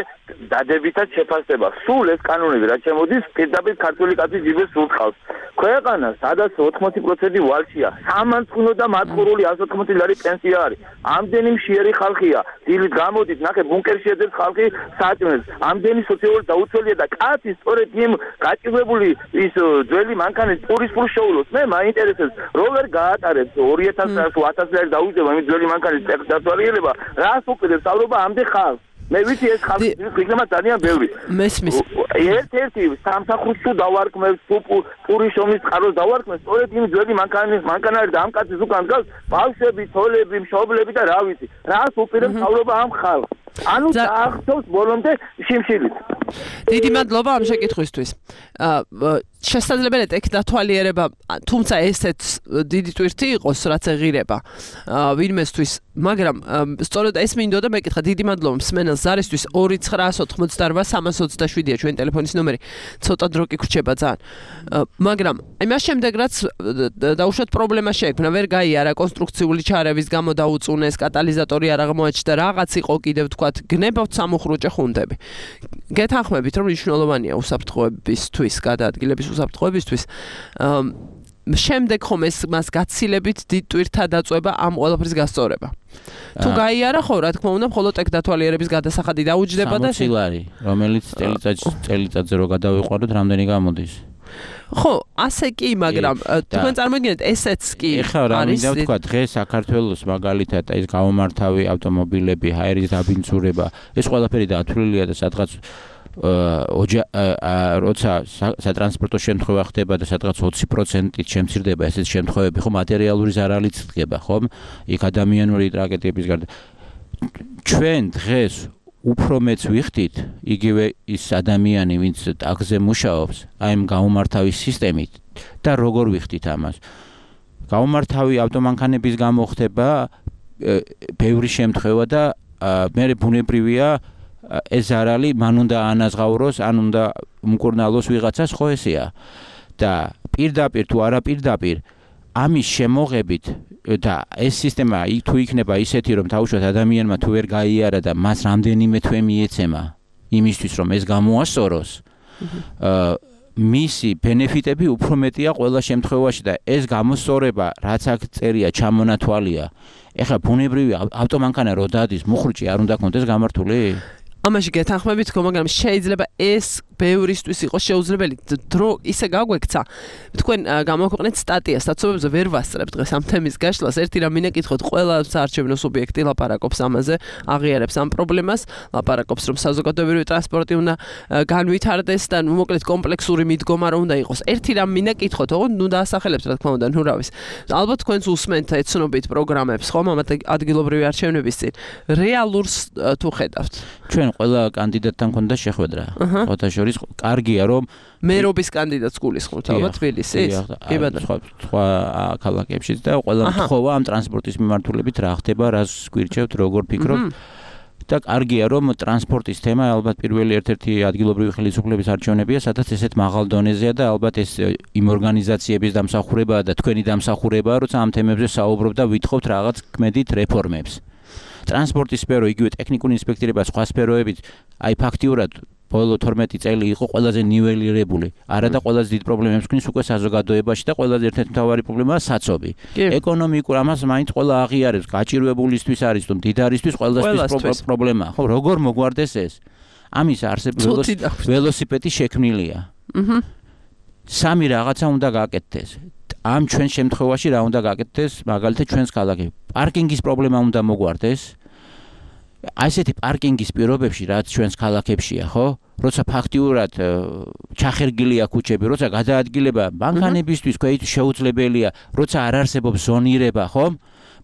დადებითად შეფასდება. სულ ეს კანონები რაც შემოდის, პირდაპირ ქართველი კაცის ჯიბეს სულხავს. ქვეყანა, სადაც ოთხმოცი პროცენტი ვალშია, სამანწყვინო და მათყურული εκατს ოთხმოცი ლარი პენსია არის. ამდენი მშიერი ხალხია. დილით გამოდით, ნახე ბუნკერში ეძებს ხალხი საჭმელს. ამდენი სოციალური დაუცველია და კაცი სწორედ იმ გაჭირვებული ის ძველი მანქანის პურის ფულს შეულოს. მე მაინტერესებს, როგორ გაატარებს ორი ათასი თუ ათასი ლარი დაუჯდება იმ ძველი მანქანის დათვალიერება, რას უყურებს საუბრობა ამდენ ხალხს. მე ვიცი ეს ხალხი იქნება ძალიან ბევრი. მესმის. ერთ-ერთი სამსახურს თუ დავარქმევს, თუ პურის შრომის წყაროს დავარქმევს, სწორედ იმ ძველი მანქანის მანქანარი და ამ კაცის უკან დგას ბავშვები, ცოლები, მშობლები და რა ვიცი. რას უყურებს საუბრობა ამ ხალხს. ანუ დაახსოვს ბოლომდე შიმშილით. დიდი მადლობა ამ შეკითხვისთვის. შესაძლებელია ტექ დათვალიერება, თუმცა ესეც დიდი ტვირთი იყოს, რაც ეღირება ვინმესთვის, მაგრამ სწორედ ეს მინდოდა მეკითხა. დიდი მადლობა მსმენელს ზარისთვის ორი ცხრაასი ოცდაოთხი სამას ოცდაშვიდია ჩვენი ტელეფონის ნომერი. ცოტა დრო კი გრჩება ძალიან. მაგრამ აი მას შემდეგ რაც დაუშვათ პრობლემა შეექმნა, ვერ გაიარა კონსტრუქციული ჩარევის გამო დაუწუნეს, კატალიზატორი არ აღმოაჩნდა, რაღაც იყო კიდევ თქვათ გნებავთ სამუხრუჭე ხუნდები. გეთანხმებით რომ მნიშვნელოვანია უსაფრთხოებისთვის, გადაადგილების უსაფრთხოებისთვის. შემდეგ ხომ ეს მას გაცილებით დიდ ტვირთა დაწובה ამ ყველაფრის გასწორება. თუ გაიარა ხო, რა თქმა უნდა, მხოლოდ ტექ დათვალიერების გადასახადი დაუჯდება და სამოცი ლარი, რომელიც წელიწადში წელიწადზე რო გადავიყვაროთ, რამდენი გამოდის? ხო, ასე კი, მაგრამ თქვენ წარმოგიდგენთ, ესეც კი არის. ეხლა რა მინდა ვთქვა, დღეს საქართველოს მაგალითად ეს გამომართავი ავტომობილები, ჰაერის დაბინძურება, ეს ყველაფერი დათვლილია და სადღაც ოჯა როცა სატრანსპორტო შემთხვევა ხდება და სადღაც ოცი პროცენტით შემცირდება ესეთ შემთხვევები, ხო, მატერიალური ზარალიც ხდება, ხო? იქ ადამიანური ტრაგედიების გარდა. ჩვენ დღეს უფრო მეც ვიხდით, იგივე ის ადამიანი, ვინც ტაგზე მუშაობს, აი ამ გამომართავის სისტემით და როგორ ვიხდით ამას. გამომართავი ავტომანქანების გამო ხდება ბევრი შემთხვევა და მე ბუნებრივია ეს ზარალი მან უნდა ანაზღაუროს, ან უნდა მკურნალოს ვიღაცას, ხო ესეა. და პირდაპირ თუ არა პირდაპირ ამის შემოღებით და ეს სისტემა თუ იქნება ისეთი, რომ თავშოთ ადამიანმა თუ ვერ გაიარა და მას რამდენიმე თვე მიეცემა იმისთვის, რომ ეს გამოასწოროს, მისი ბენეფიტები უფრო მეტია ყველა შემთხვევაში და ეს გამოსწორება, რაც აქ წერია, ჩამონათვალია. ეხლა ბუნებრივი ავტომანქანა რო დადის, მუხრუჭი არ უნდა კონდეს გამართული? ამაში გეთანხმებით, მაგრამ შეიძლება ეს ბევრისთვის იყოს შეუძლებელი. დრო ისე გაგვექცა. თქვენ გამოქვეყნეთ სტატიას, სტატიებზე ვერ ვასწრებ დღეს ამ თემის გაშლას. ერთი რამ მინაკითხოთ, ყველა საარჩევნო სუბიექტი ლაპარაკობს ამაზე, აღიარებს ამ პრობლემას, ლაპარაკობს, რომ საზოგადოებრივი ტრანსპორტი უნდა განვითარდეს და მოკლედ კომპლექსური მიდგომა რომ უნდა იყოს. ერთი რამ მინაკითხოთ, ოღონდ ნუ დაასახელებთ, რა თქმა უნდა, ნუ რავის. ალბათ თქვენს უსმენთ ეცნობით პროგრამებს, ხომ, ამ ადგილობრივი არჩევნების წინ. რეალურს თუ ხედავთ. ჩვენ ყველა კანდიდატთან ქონდა შეხვედრა. ფოტოშორის კარგია რომ მერობის კანდიდატს გულისხმობთ ალბათ თბილისის? კი ბატონო. სხვა ქალაქებშიც და ყველა მთხოვა ამ ტრანსპორტის მიმართულებით რა ხდება, რას გვირჩევთ, როგორ ფიქრობთ. და კარგია რომ ტრანსპორტის თემა ალბათ პირველი ერთ-ერთი ადგილობრივი ხელისუფლების არჩევნებია, სადაც ესეთ მაღალ დონეზეა და ალბათ ეს იმ ორგანიზაციების დამსახურებაა და თქვენი დამსახურებაა, როცა ამ თემებზე საუბრობ და ვითხოვთ რაღაც ქმედით რეფორმებს. ტრანსპორტის სფერო, იგივე ტექნიკური ინსპექტორება, სხვა სფეროებით, აი ფაქტიურად ბოლო თორმეტი წელი იყო ყველაზე ნიველირებული. არა და ყველაზე დიდ პრობლემებს ქნის უკვე საზოგადოებაში და ყველაზე ერთ-ერთი მთავარი პრობლემაა საცობი. ეკონომიკურ ამას მაინც ყველა აღიარებს, გაჭირვებულისთვის არის თუ მდიდარისთვის ყველასთვის პრობლემაა. ხო, როგორ მოგვარდეს ეს? ამის არსებობა ველოსიპედი შექმნილია. სამი რაღაცა უნდა გააკეთდეს. ამ ჩვენ შემთხვევაში რა უნდა გაკეთდეს, მაგალითად ჩვენს ქალაქებში პარკინგის პრობლემა უნდა მოგვარდეს. ასეთი პარკინგის პირობებში, რაც ჩვენს ქალაქებშია, ხო? როცა ფაქტიურად ჩახერგილია ქუჩები, როცა გადაადგილება მანქანებისთვის ქვეით შეუძლებელია, როცა არ არსებობს ზონირება, ხო?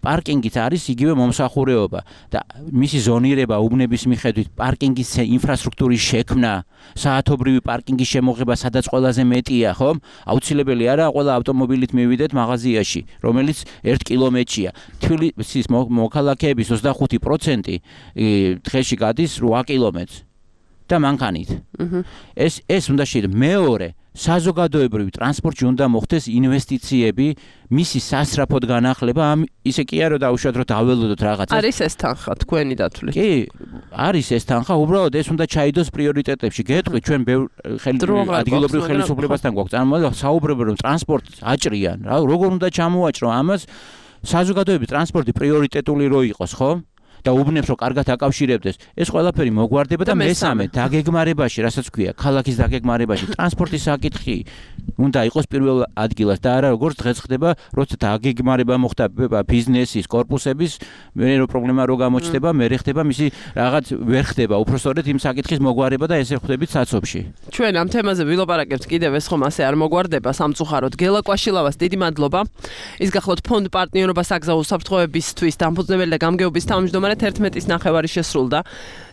პარკინგიც არის იგივე მომსახურეობა და მისი ზონირება უბნების მიხედვით პარკინგის ინფრასტრუქტურის შექმნა, საათობრივი პარკინგის შემოღება, სადაც ყველაზე მეტია, ხო? აუცილებელი არა ყველა ავტომობილით მივიდეთ მაღაზიაში, რომელიც ერთ კილომეტრია. თბილისის მოქალაქეების ოცდახუთი პროცენტი დღეში გადის რვა კილომეტრს და მანქანით. ეს ეს უნდა შეიძლება მეორე საზოგადოებრივი ტრანსპორტში უნდა მოხდეს ინვესტიციები, მისი სასწრაფოდ განახლება, ამ ისე კი არა დაუშვათ რომ დაველოდოთ რაღაცას. არის ეს თანხა თქვენი დათვლით? კი, არის ეს თანხა, უბრალოდ ეს უნდა ჩაიდოს პრიორიტეტებში. გეტყვით, ჩვენ ბევრ ადგილობრივ ხელისუფლებასთან გვაქვს წარმოება, საუბრობენ რომ ტრანსპორტს აჭრიან, რა, როგორ უნდა ჩამოაჭრო ამას? საზოგადოების ტრანსპორტი პრიორიტეტული რო იყოს, ხო? და უბნებს რო კარგად აკავშირებდეს, ეს ყველაფერი მოგვარდება და მესამე დაგეგმარებაში, რასაც ქვია, ქალაქის დაგეგმარებაში ტრანსპორტის საკითხი უნდა იყოს პირველ ადგილას და არა როგორც დღეს ხდება, როცა დაგეგმარება მოხდა ბიზნესის, კორპუსების, მე რო პრობლემა რო გამოჩნდება, მე ხდება მისი რაღაც ვერ ხდება, უბრალოდ იმ საკითხის მოგვარება და ესე ხვდებით საცობში. ჩვენ ამ თემაზე ვილაპარაკებთ კიდევ ეს ხომ ასე არ მოგვარდება სამწუხაროდ. გელა კვაშილავას დიდი მადლობა. ის გახლავთ ფონდ პარტნიორობა საგზაო უსაფრთხოებისთვის დამფუძნებელი და გამგეობის თავმჯდომარე თერთმეტის ნახევარი შესრულდა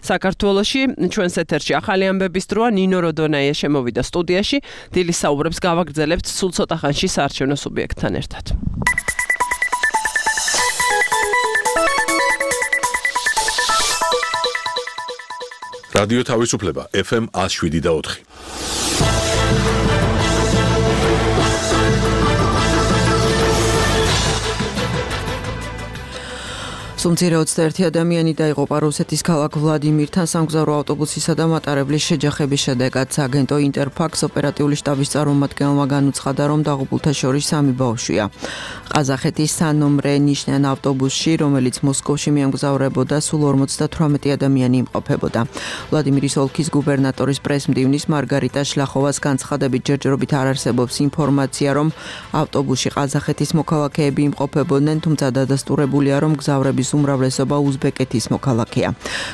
საქართველოში. ჩვენს ეთერში ახალი ამბების დროა. ნინო როდონაია შემოვიდა სტუდიაში. დილის საუბრებს გავაგრძელებთ სულ ცოტა ხანში საარჩევნო სუბიექტთან ერთად. რადიო თავისუფლება ეფ ემ ათს შვიდი და ოთხი. სუმცირე ოცდაერთი ადამიანი დაიღუპა რუსეთის ქალაქ ვლადიმირთან სამგზავრო ავტობუსისა და მატარებლის შეჯახების შედეგად. აგენტო ინტერფაქს ოპერატიული შტაბის წარმომადგენელმა განუცხადა, რომ დაღუპულთა შორის სამი ბავშვია. ყაზახეთის სანომრე ნიშნიან ავტობუსში, რომელიც მოსკოვში მიემგზავრებოდა, სულ ორმოცდათვრამეტი ადამიანი იმყოფებოდა. ვლადიმირის ოლქის გუბერნატორის პრესმდივნის მარგარიტა შლახოვას განცხადებით ჯერჯერობით არ არსებობს ინფორმაცია, რომ ავტობუსში ყაზახეთის მოქალაქეები იმყოფებოდნენ, თუმცა დადასტურებულია, რომ მგზავრების უმრავლესობა უზბეკეთის მოქალაქეა.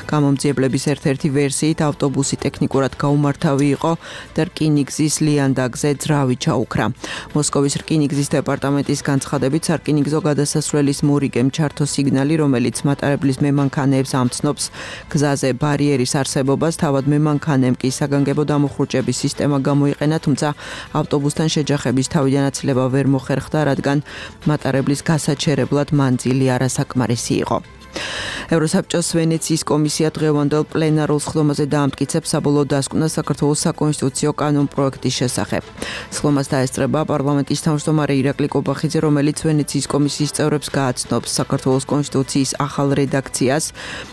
გამომძიებლების ერთ-ერთი ვერსიით ავტობუსი ტექნიკურად გაუმართავი იყო და რკინიგზის ლიანდაგზე ძრავი ჩაუქრა. მოსკოვის რკინიგზის დეპარტამენტის განცხადებით სარკინიგზო გადასასვლელის მორიგემ ჩართო სიგნალი, რომელიც მატარებლის მემანქანეებს ამცნობს გზაზე ბარიერის არსებობას. თავად მემანქანემ კი საგანგებო დამუხრუჭების სისტემა გამოიყენა, თუმცა ავტობუსთან შეჯახების თავიდანაცილება ვერ მოხერხდა, რადგან მატარებლის გასაჩერებლად მანძილი არასაკმარისი იყო. ევროსაბჭოს ვენეციის კომისია დღევანდელ პლენარულ სხდომაზე დაამტკიცებს საბოლოო დასკვნას საქართველოს საკონსტიტუციო კანონპროექტის შესახებ. სხდომას დაესწრება პარლამენტის თავმჯდომარე ირაკლი კობახიძე, რომელიც ვენეციის კომისიის წევრებს გააცნობს საქართველოს კონსტიტუციის ახალ რედაქციას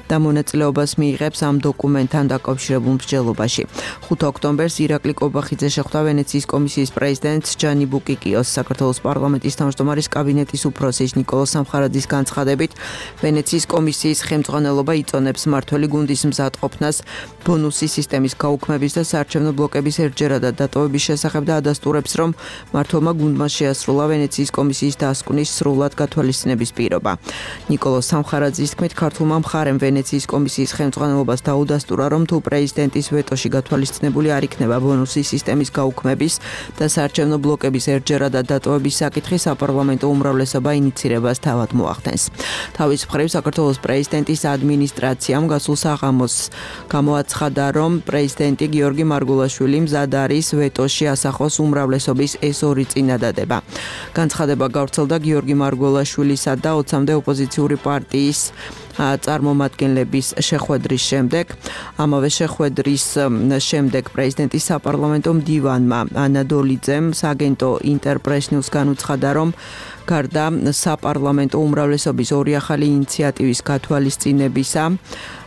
და მონაწილეობას მიიღებს ამ დოკუმენტთან დაკავშირებულ მსჯელობაში. ხუთი ოქტომბერს ირაკლი კობახიძე შეხვდა ვენეციის კომისიის პრეზიდენტს ჯანი ბუკიკიოს. საქართველოს პარლამენტის თავმჯდომარის კაბინეტის უფროსის ნიკოლოზ სამხარაძის განცხადებით, ვენეციის კომისიის ხელმძღვანელობა იწონებს მმართველი გუნდის მზადყოფნას ბონუსის სისტემის გაუქმების და საარჩევნო ბლოკების ერთჯერადად დატოვების შესახებ და ადასტურებს, რომ მმართველმა გუნდმა შეასრულა ვენეციის კომისიის დასკვნის სრულად გათვალისწინების პირობა. ნიკოლოზ სამხარაძის თქმით, ქართულმა მხარემ ვენეციის კომისიის ხელმძღვანელობას დაუდასტურა, რომ თუ პრეზიდენტის ვეტოში გათვალისწინებული არ იქნება ბონუსის სისტემის გაუქმების და საარჩევნო ბლოკების ერთჯერადად დატოვების საკითხი, საპარლამენტო უმრავლესობა ინიცირებას თავად მოახდენს. თავის მხრივ საქართველოს პრეზიდენტის ადმინისტრაციამ გასულ საღამოს გამოაცხადა, რომ პრეზიდენტი გიორგი მარგულაშვილი მზად არის ვეტოში ასახოს უმრავლესობის ეს ორი წინადადება. განცხადება გავრცელდა გიორგი მარგულაშვილისა და ოცამდე ოპოზიციური პარტიის წარმომადგენლების შეხვედრის შემდეგ. ამავე შეხვედრის შემდეგ პრეზიდენტის საპარლამენტო მდივანმა ანადოლიძემ სააგენტო ინტერპრესნიუს განუცხადა, რომ გარდა საპარლამენტო უმრავლესობის ორი ახალი ინიციატივის გათვალისწინებისა,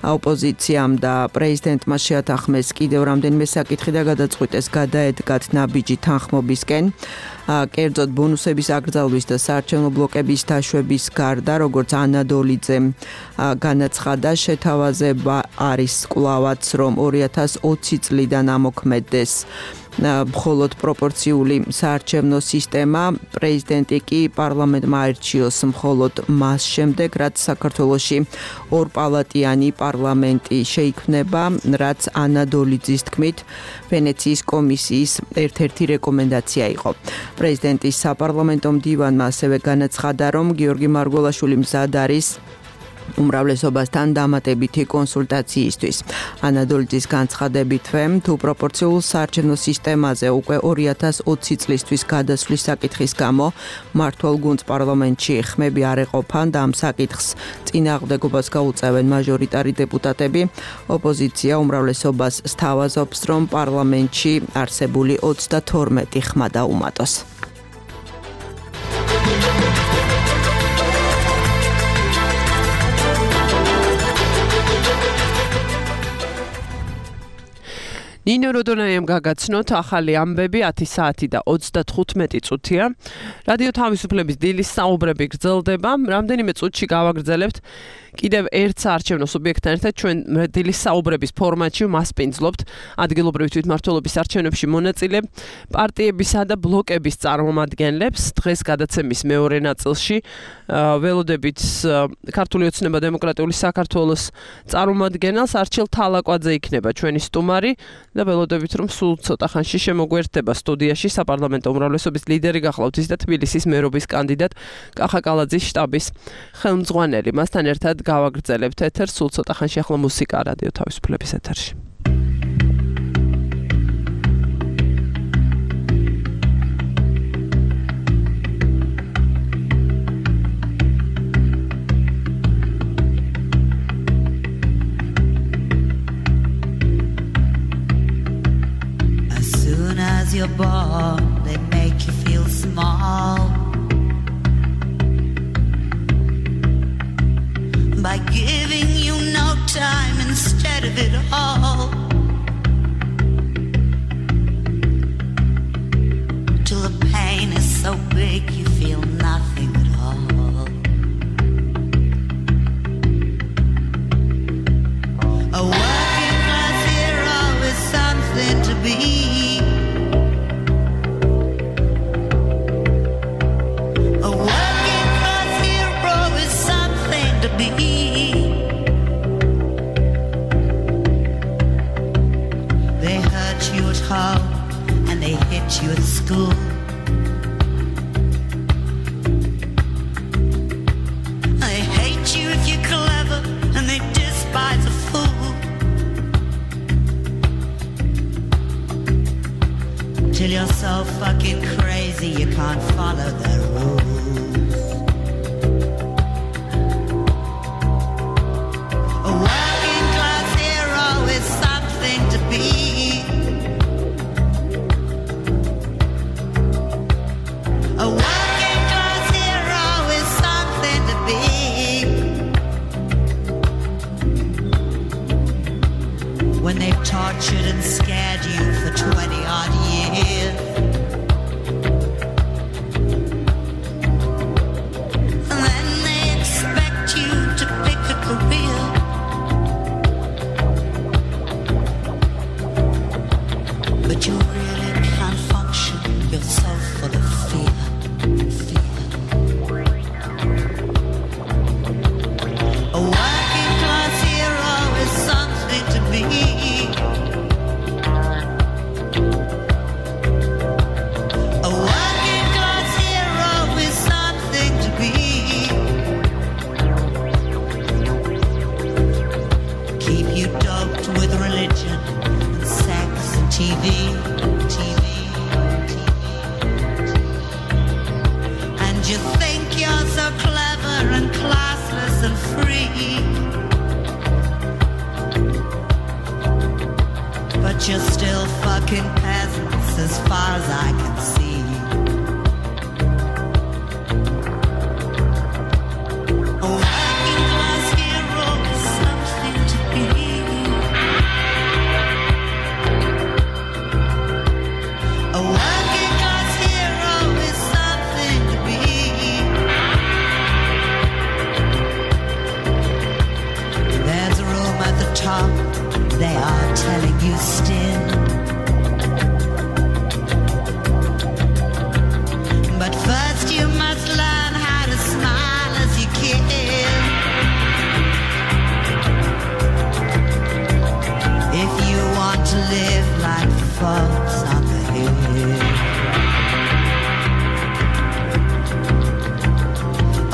ოპოზიციამ და პრეზიდენტმა შეათანხმეს კიდევ რამდენიმე საკითხი და გადაწყვიტეს გადაედგათ ნაბიჯი თანხმობისკენ. კერძოდ ბონუსების აკრძალვის და საარჩევნო ბლოკების დაშვების გარდა, როგორც ანადოლიძემ განაცხადა, შეთავაზება არის კვლავაც, რომ ორი ათას ოცი წლიდან ამოქმედდეს მხოლოდ პროპორციული საარჩევნო სისტემა, პრეზიდენტი კი პარლამენტმა აირჩიოს მხოლოდ მას შემდეგ, რაც საქართველოში ორპალატიანი პარლამენტი შეიქმნება, რაც ანა დოლიძის თქმით ვენეციის კომისიის ერთ-ერთი რეკომენდაცია იყო. პრეზიდენტის საპარლამენტო მდივანმა ასევე განაცხადა, რომ გიორგი მარგველაშვილი მზად არის უმრავლესობასთან დამატებითი კონსულტაციისთვის. ანა დოლიძის განცხადებითვე, თუ პროპორციულ საარჩევნო სისტემაზე უკვე ორი ათას ოცი წლისთვის გადასვლის საკითხის გამო მართვალ გუნდს პარლამენტში ხმები არ ეყოფან და ამ საკითხს წინააღმდეგობას გაუწევენ მაჟორიტარი დეპუტატები, ოპოზიცია უმრავლესობას სთავაზობს, რომ პარლამენტში არსებული ოცდათორმეტი ხმა დაუმატოს. ნინო როდონაიამ გაგაცნოთ ახალი ამბები ათი საათი და ოცდათხუთმეტი წუთია. რადიო თავისუფლების დილის საუბრები გრძელდება. რამდენიმე წუთში გავაგრძელებთ კიდევ ერთ საარჩევნო სუბიექტთან ერთად ჩვენ დილის საუბრების ფორმატში მასპინძლობთ ადგილობრივი თვითმმართველობის არჩევნებში მონაწილე პარტიებისა და ბლოკების წარმომადგენლებს. დღეს გადაცემის მეორე ნაწილში ველოდებით ქართული ოცნება დემოკრატიული საქართველოს წარმომადგენელს არჩილ თალაკვაძე იქნება ჩვენი სტუმარი და ველოდებით რომ სულ ცოტა ხანში შემოგვერთდება სტუდიაში საპარლამენტო უმრავლესობის ლიდერი გახლავთ ის და თბილისის მერობის კანდიდატ კახა კალაძის შტაბის ხელმძღვანელი. მასთან ერთად გავაგრძელებთ ეთერს სულ ცოტა ხანში ახლა მუსიკა რადიო თავისუფლების ეთერში. As you're born, they make you feel small by giving you no time instead of it all, till the pain is so big you feel nothing at all. A working class hero is something to be. They hurt you at home and they hit you at school. They hate you if you're clever and they despise a fool. Till you're so fucking crazy you can't follow their rules. Tortured and scared you for twenty odd years, and then they expect you to pick a career. But you really can't function, you're so full of fear, fear. A working class hero is something to be. T V, T V, T V, and you think you're so clever and classless and free, but you're still fucking peasants as far as I can see. A working class hero is something to be. A working class hero is something to be. There's a room at the top, they are telling you still. live like fox on the hill.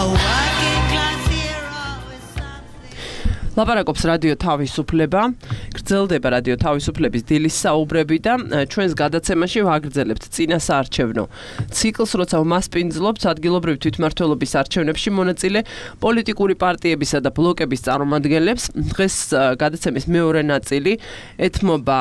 A working class hero is something. ლაპარაკობს რადიო თავისუფლება, გრძელდება რადიო თავისუფლების დილის საუბრები და ჩვენს გადაცემაში ვაგრძელებთ წინა საარჩევნო ციკლს, როცა ვმასპინძლობთ ადგილობრივი თვითმმართველობის არჩევნებში მონაწილე პოლიტიკური პარტიებისა და ბლოკების წარმომადგენლებს. დღეს გადაცემის მეორე ნაწილი ეთმობა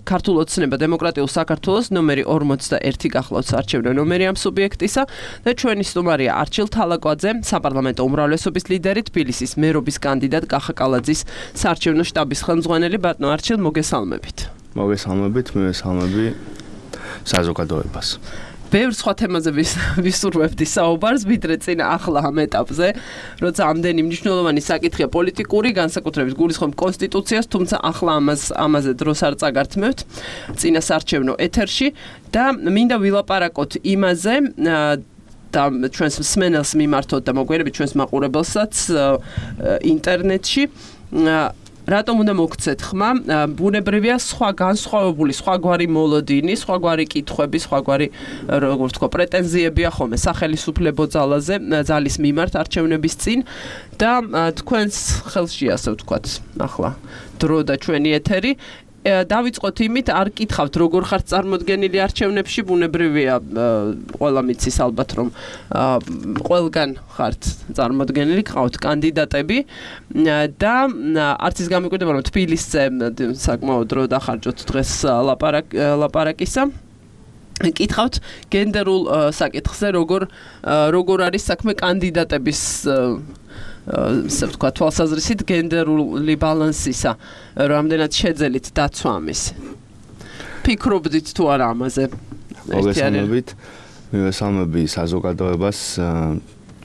ქართულ ოცნება დემოკრატიულ საქართველოს ნომერი ორმოცდაერთი გახლავთ არჩევნო ნომერი ამ სუბიექტისა და ჩვენი სტუმარია არჩილ თალაკვაძე, საპარლამენტო უმრავლესობის ლიდერი, თბილისის მერობის კანდიდატ კახა კალაძის საარჩევნო შტაბის ხელმძღვანელი. ბატონო არჩილ, მოგესალმებით. მოგესალმებით, მივესალმები საზოგადოებას. ბევრ სხვა თემაზე ვისურვებდი საუბარს, ვიდრე წინა ახლა ამ ეტაპზე, როცა ამდენი მნიშვნელოვანი საკითხია პოლიტიკური, განსაკუთრებით გულისხმობ კონსტიტუციას, თუმცა ახლა ამას ამაზე დროს არ წაგართმევთ წინა საარჩევნო ეთერში და მინდა ვილაპარაკოთ იმაზე და ჩვენს მსმენელს მიმართოთ და მოგვიერთებით ჩვენს მაყურებელსაც ინტერნეტში. რატომ უნდა მოგცეთ ხმა? ბუნებრივია სხვა განსხვავებული, სხვაგვარი მოლოდინი, სხვაგვარი კითხვები, სხვაგვარი როგორ ვთქვა, პრეტენზიებია ხოლმე სახელმწიფო ძალაზე, ძალის მიმართ არჩევნების წინ და თქვენს ხელში ასე ვთქვათ, ახლა დრო და ჩვენი ეთერი. დავიწყოთ იმით, არ კითხავთ როგორ ხართ წარმოდგენილი არჩევნებში, ბუნებრივია ყველა მიცის ალბათ რომ ყველგან ხართ წარმოდგენილი, ყავთ კანდიდატები და არც ის გამიკვირდება რომ თბილისზე საკმაოდ დრო დახარჯოთ დღეს ლაპარაკისა. კითხავთ გენდერულ საკითხზე, როგორ როგორ არის საქმე კანდიდატების ასე ვთქვა, თვალსაზრისით გენდერული ბალანსისა, რამდენად შეძელით დაცვა ამისი. ფიქრობდით თუ არა ამაზე? მოგესალმებით, მივესალმები საზოგადოებას.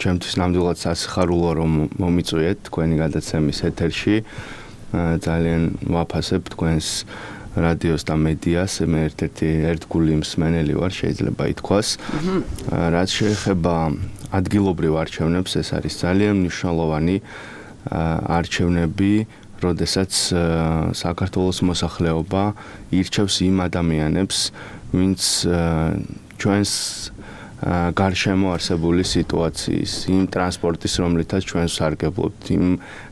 ჩემთვის ნამდვილად სასიხარულოა რომ მომიწვიეთ თქვენი გადაცემის ეთერში. ძალიან ვაფასებ თქვენს რადიოს და მედიას, მე ერთ-ერთი ერთგული მსმენელი ვარ, შეიძლება ითქვას. რაც შეეხება ადგილობრივ არჩევნებს, ეს არის ძალიან მნიშვნელოვანი არჩევნები, როდესაც საქართველოს მოსახლეობა ირჩევს იმ ადამიანებს, ვინც ჩვენს გარშემო არსებული სიტუაციის, იმ ტრანსპორტის, რომლითაც ჩვენ ვსარგებლობთ, იმ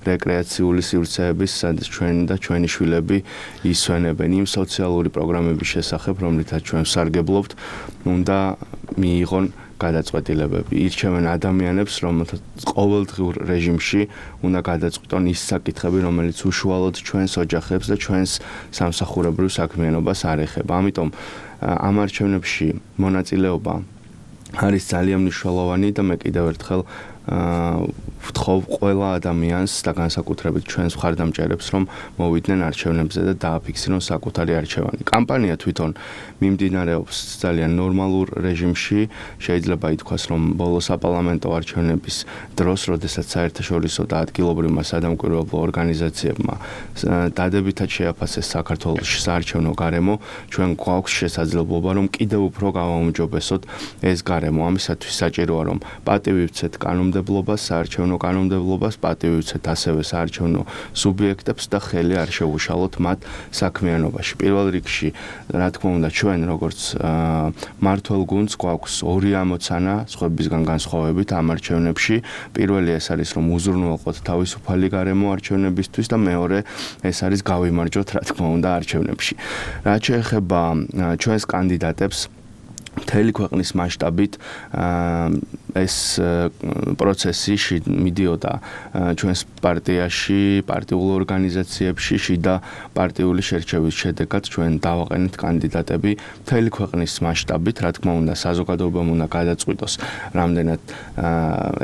რეკრეაციული სივრცეების, სადაც ჩვენ და ჩვენი შვილები ისვენებენ, იმ სოციალური პროგრამების შესახებ, რომლითაც ჩვენ ვსარგებლობთ, უნდა მიიღონ გადაწყვეტილებები. ირჩევენ ადამიანებს, რომელთაც ყოველდღიურ რეჟიმში უნდა გადაწყვიტონ ის საკითხები, რომელიც უშუალოდ ჩვენს ოჯახებს და ჩვენს სამსახურებრივ საქმიანობას არ ეხება. ამიტომ ამ არჩევნებში მონაწილეობა არის ძალიან მნიშვნელოვანი და მე კიდევ ერთხელ ვთხოვ ყველა ადამიანს და განსაკუთრებით ჩვენს მხარდამჭერებს, რომ მოვიდნენ არჩევნებზე და დააფიქსირონ საკუთარი არჩევანი. კამპანია თვითონ მიმდინარეობს ძალიან ნორმალურ რეჟიმში. შეიძლება ითქვას, რომ ბოლო საპარლამენტო არჩევნების დროს, როდესაც საერთაშორისო და ადგილობრივმა სადამკვირვებლო ორგანიზაციებმა დადებითად შეაფასეს საქართველოში საარჩევნო გარემო, ჩვენ გვაქვს შესაძლებლობა, რომ კიდევ უფრო გავაუმჯობესოთ ეს გარემო. ამისათვის საჭიროა, რომ პატივი ვცეთ კანონმდებლობას, საარჩევნო კანონმდებლობას, პატივი ვცეთ ასევე საარჩევნო სუბიექტებს და ხელი არ შევუშალოთ მათ საქმიანობაში. პირველ რიგში, რა თქმა უნდა, ჩვენ როგორც მართლ გუნდს გვაქვს ორი ამოცანა სხვებისგან განსხვავებით ამ არჩევნებში. პირველი ეს არის, რომ უზრუნველყოთ თავისუფალი გარემო არჩევნებისთვის და მეორე ეს არის გავიმარჯვოთ, რა თქმა უნდა, არჩევნებში. რაც შეეხება ჩვენს კანდიდატებს, მთელი ქვეყნის მასშტაბით ეს პროცესი მიდიოდა ჩვენს პარტიაში, პარტიულ ორგანიზაციებში, შიდა პარტიული შერჩევის შედეგად ჩვენ დავაყენეთ კანდიდატები მთელი ქვეყნის მასშტაბით, რა თქმა უნდა, საზოგადოებამ უნდა გადაწყვიტოს, რამდენად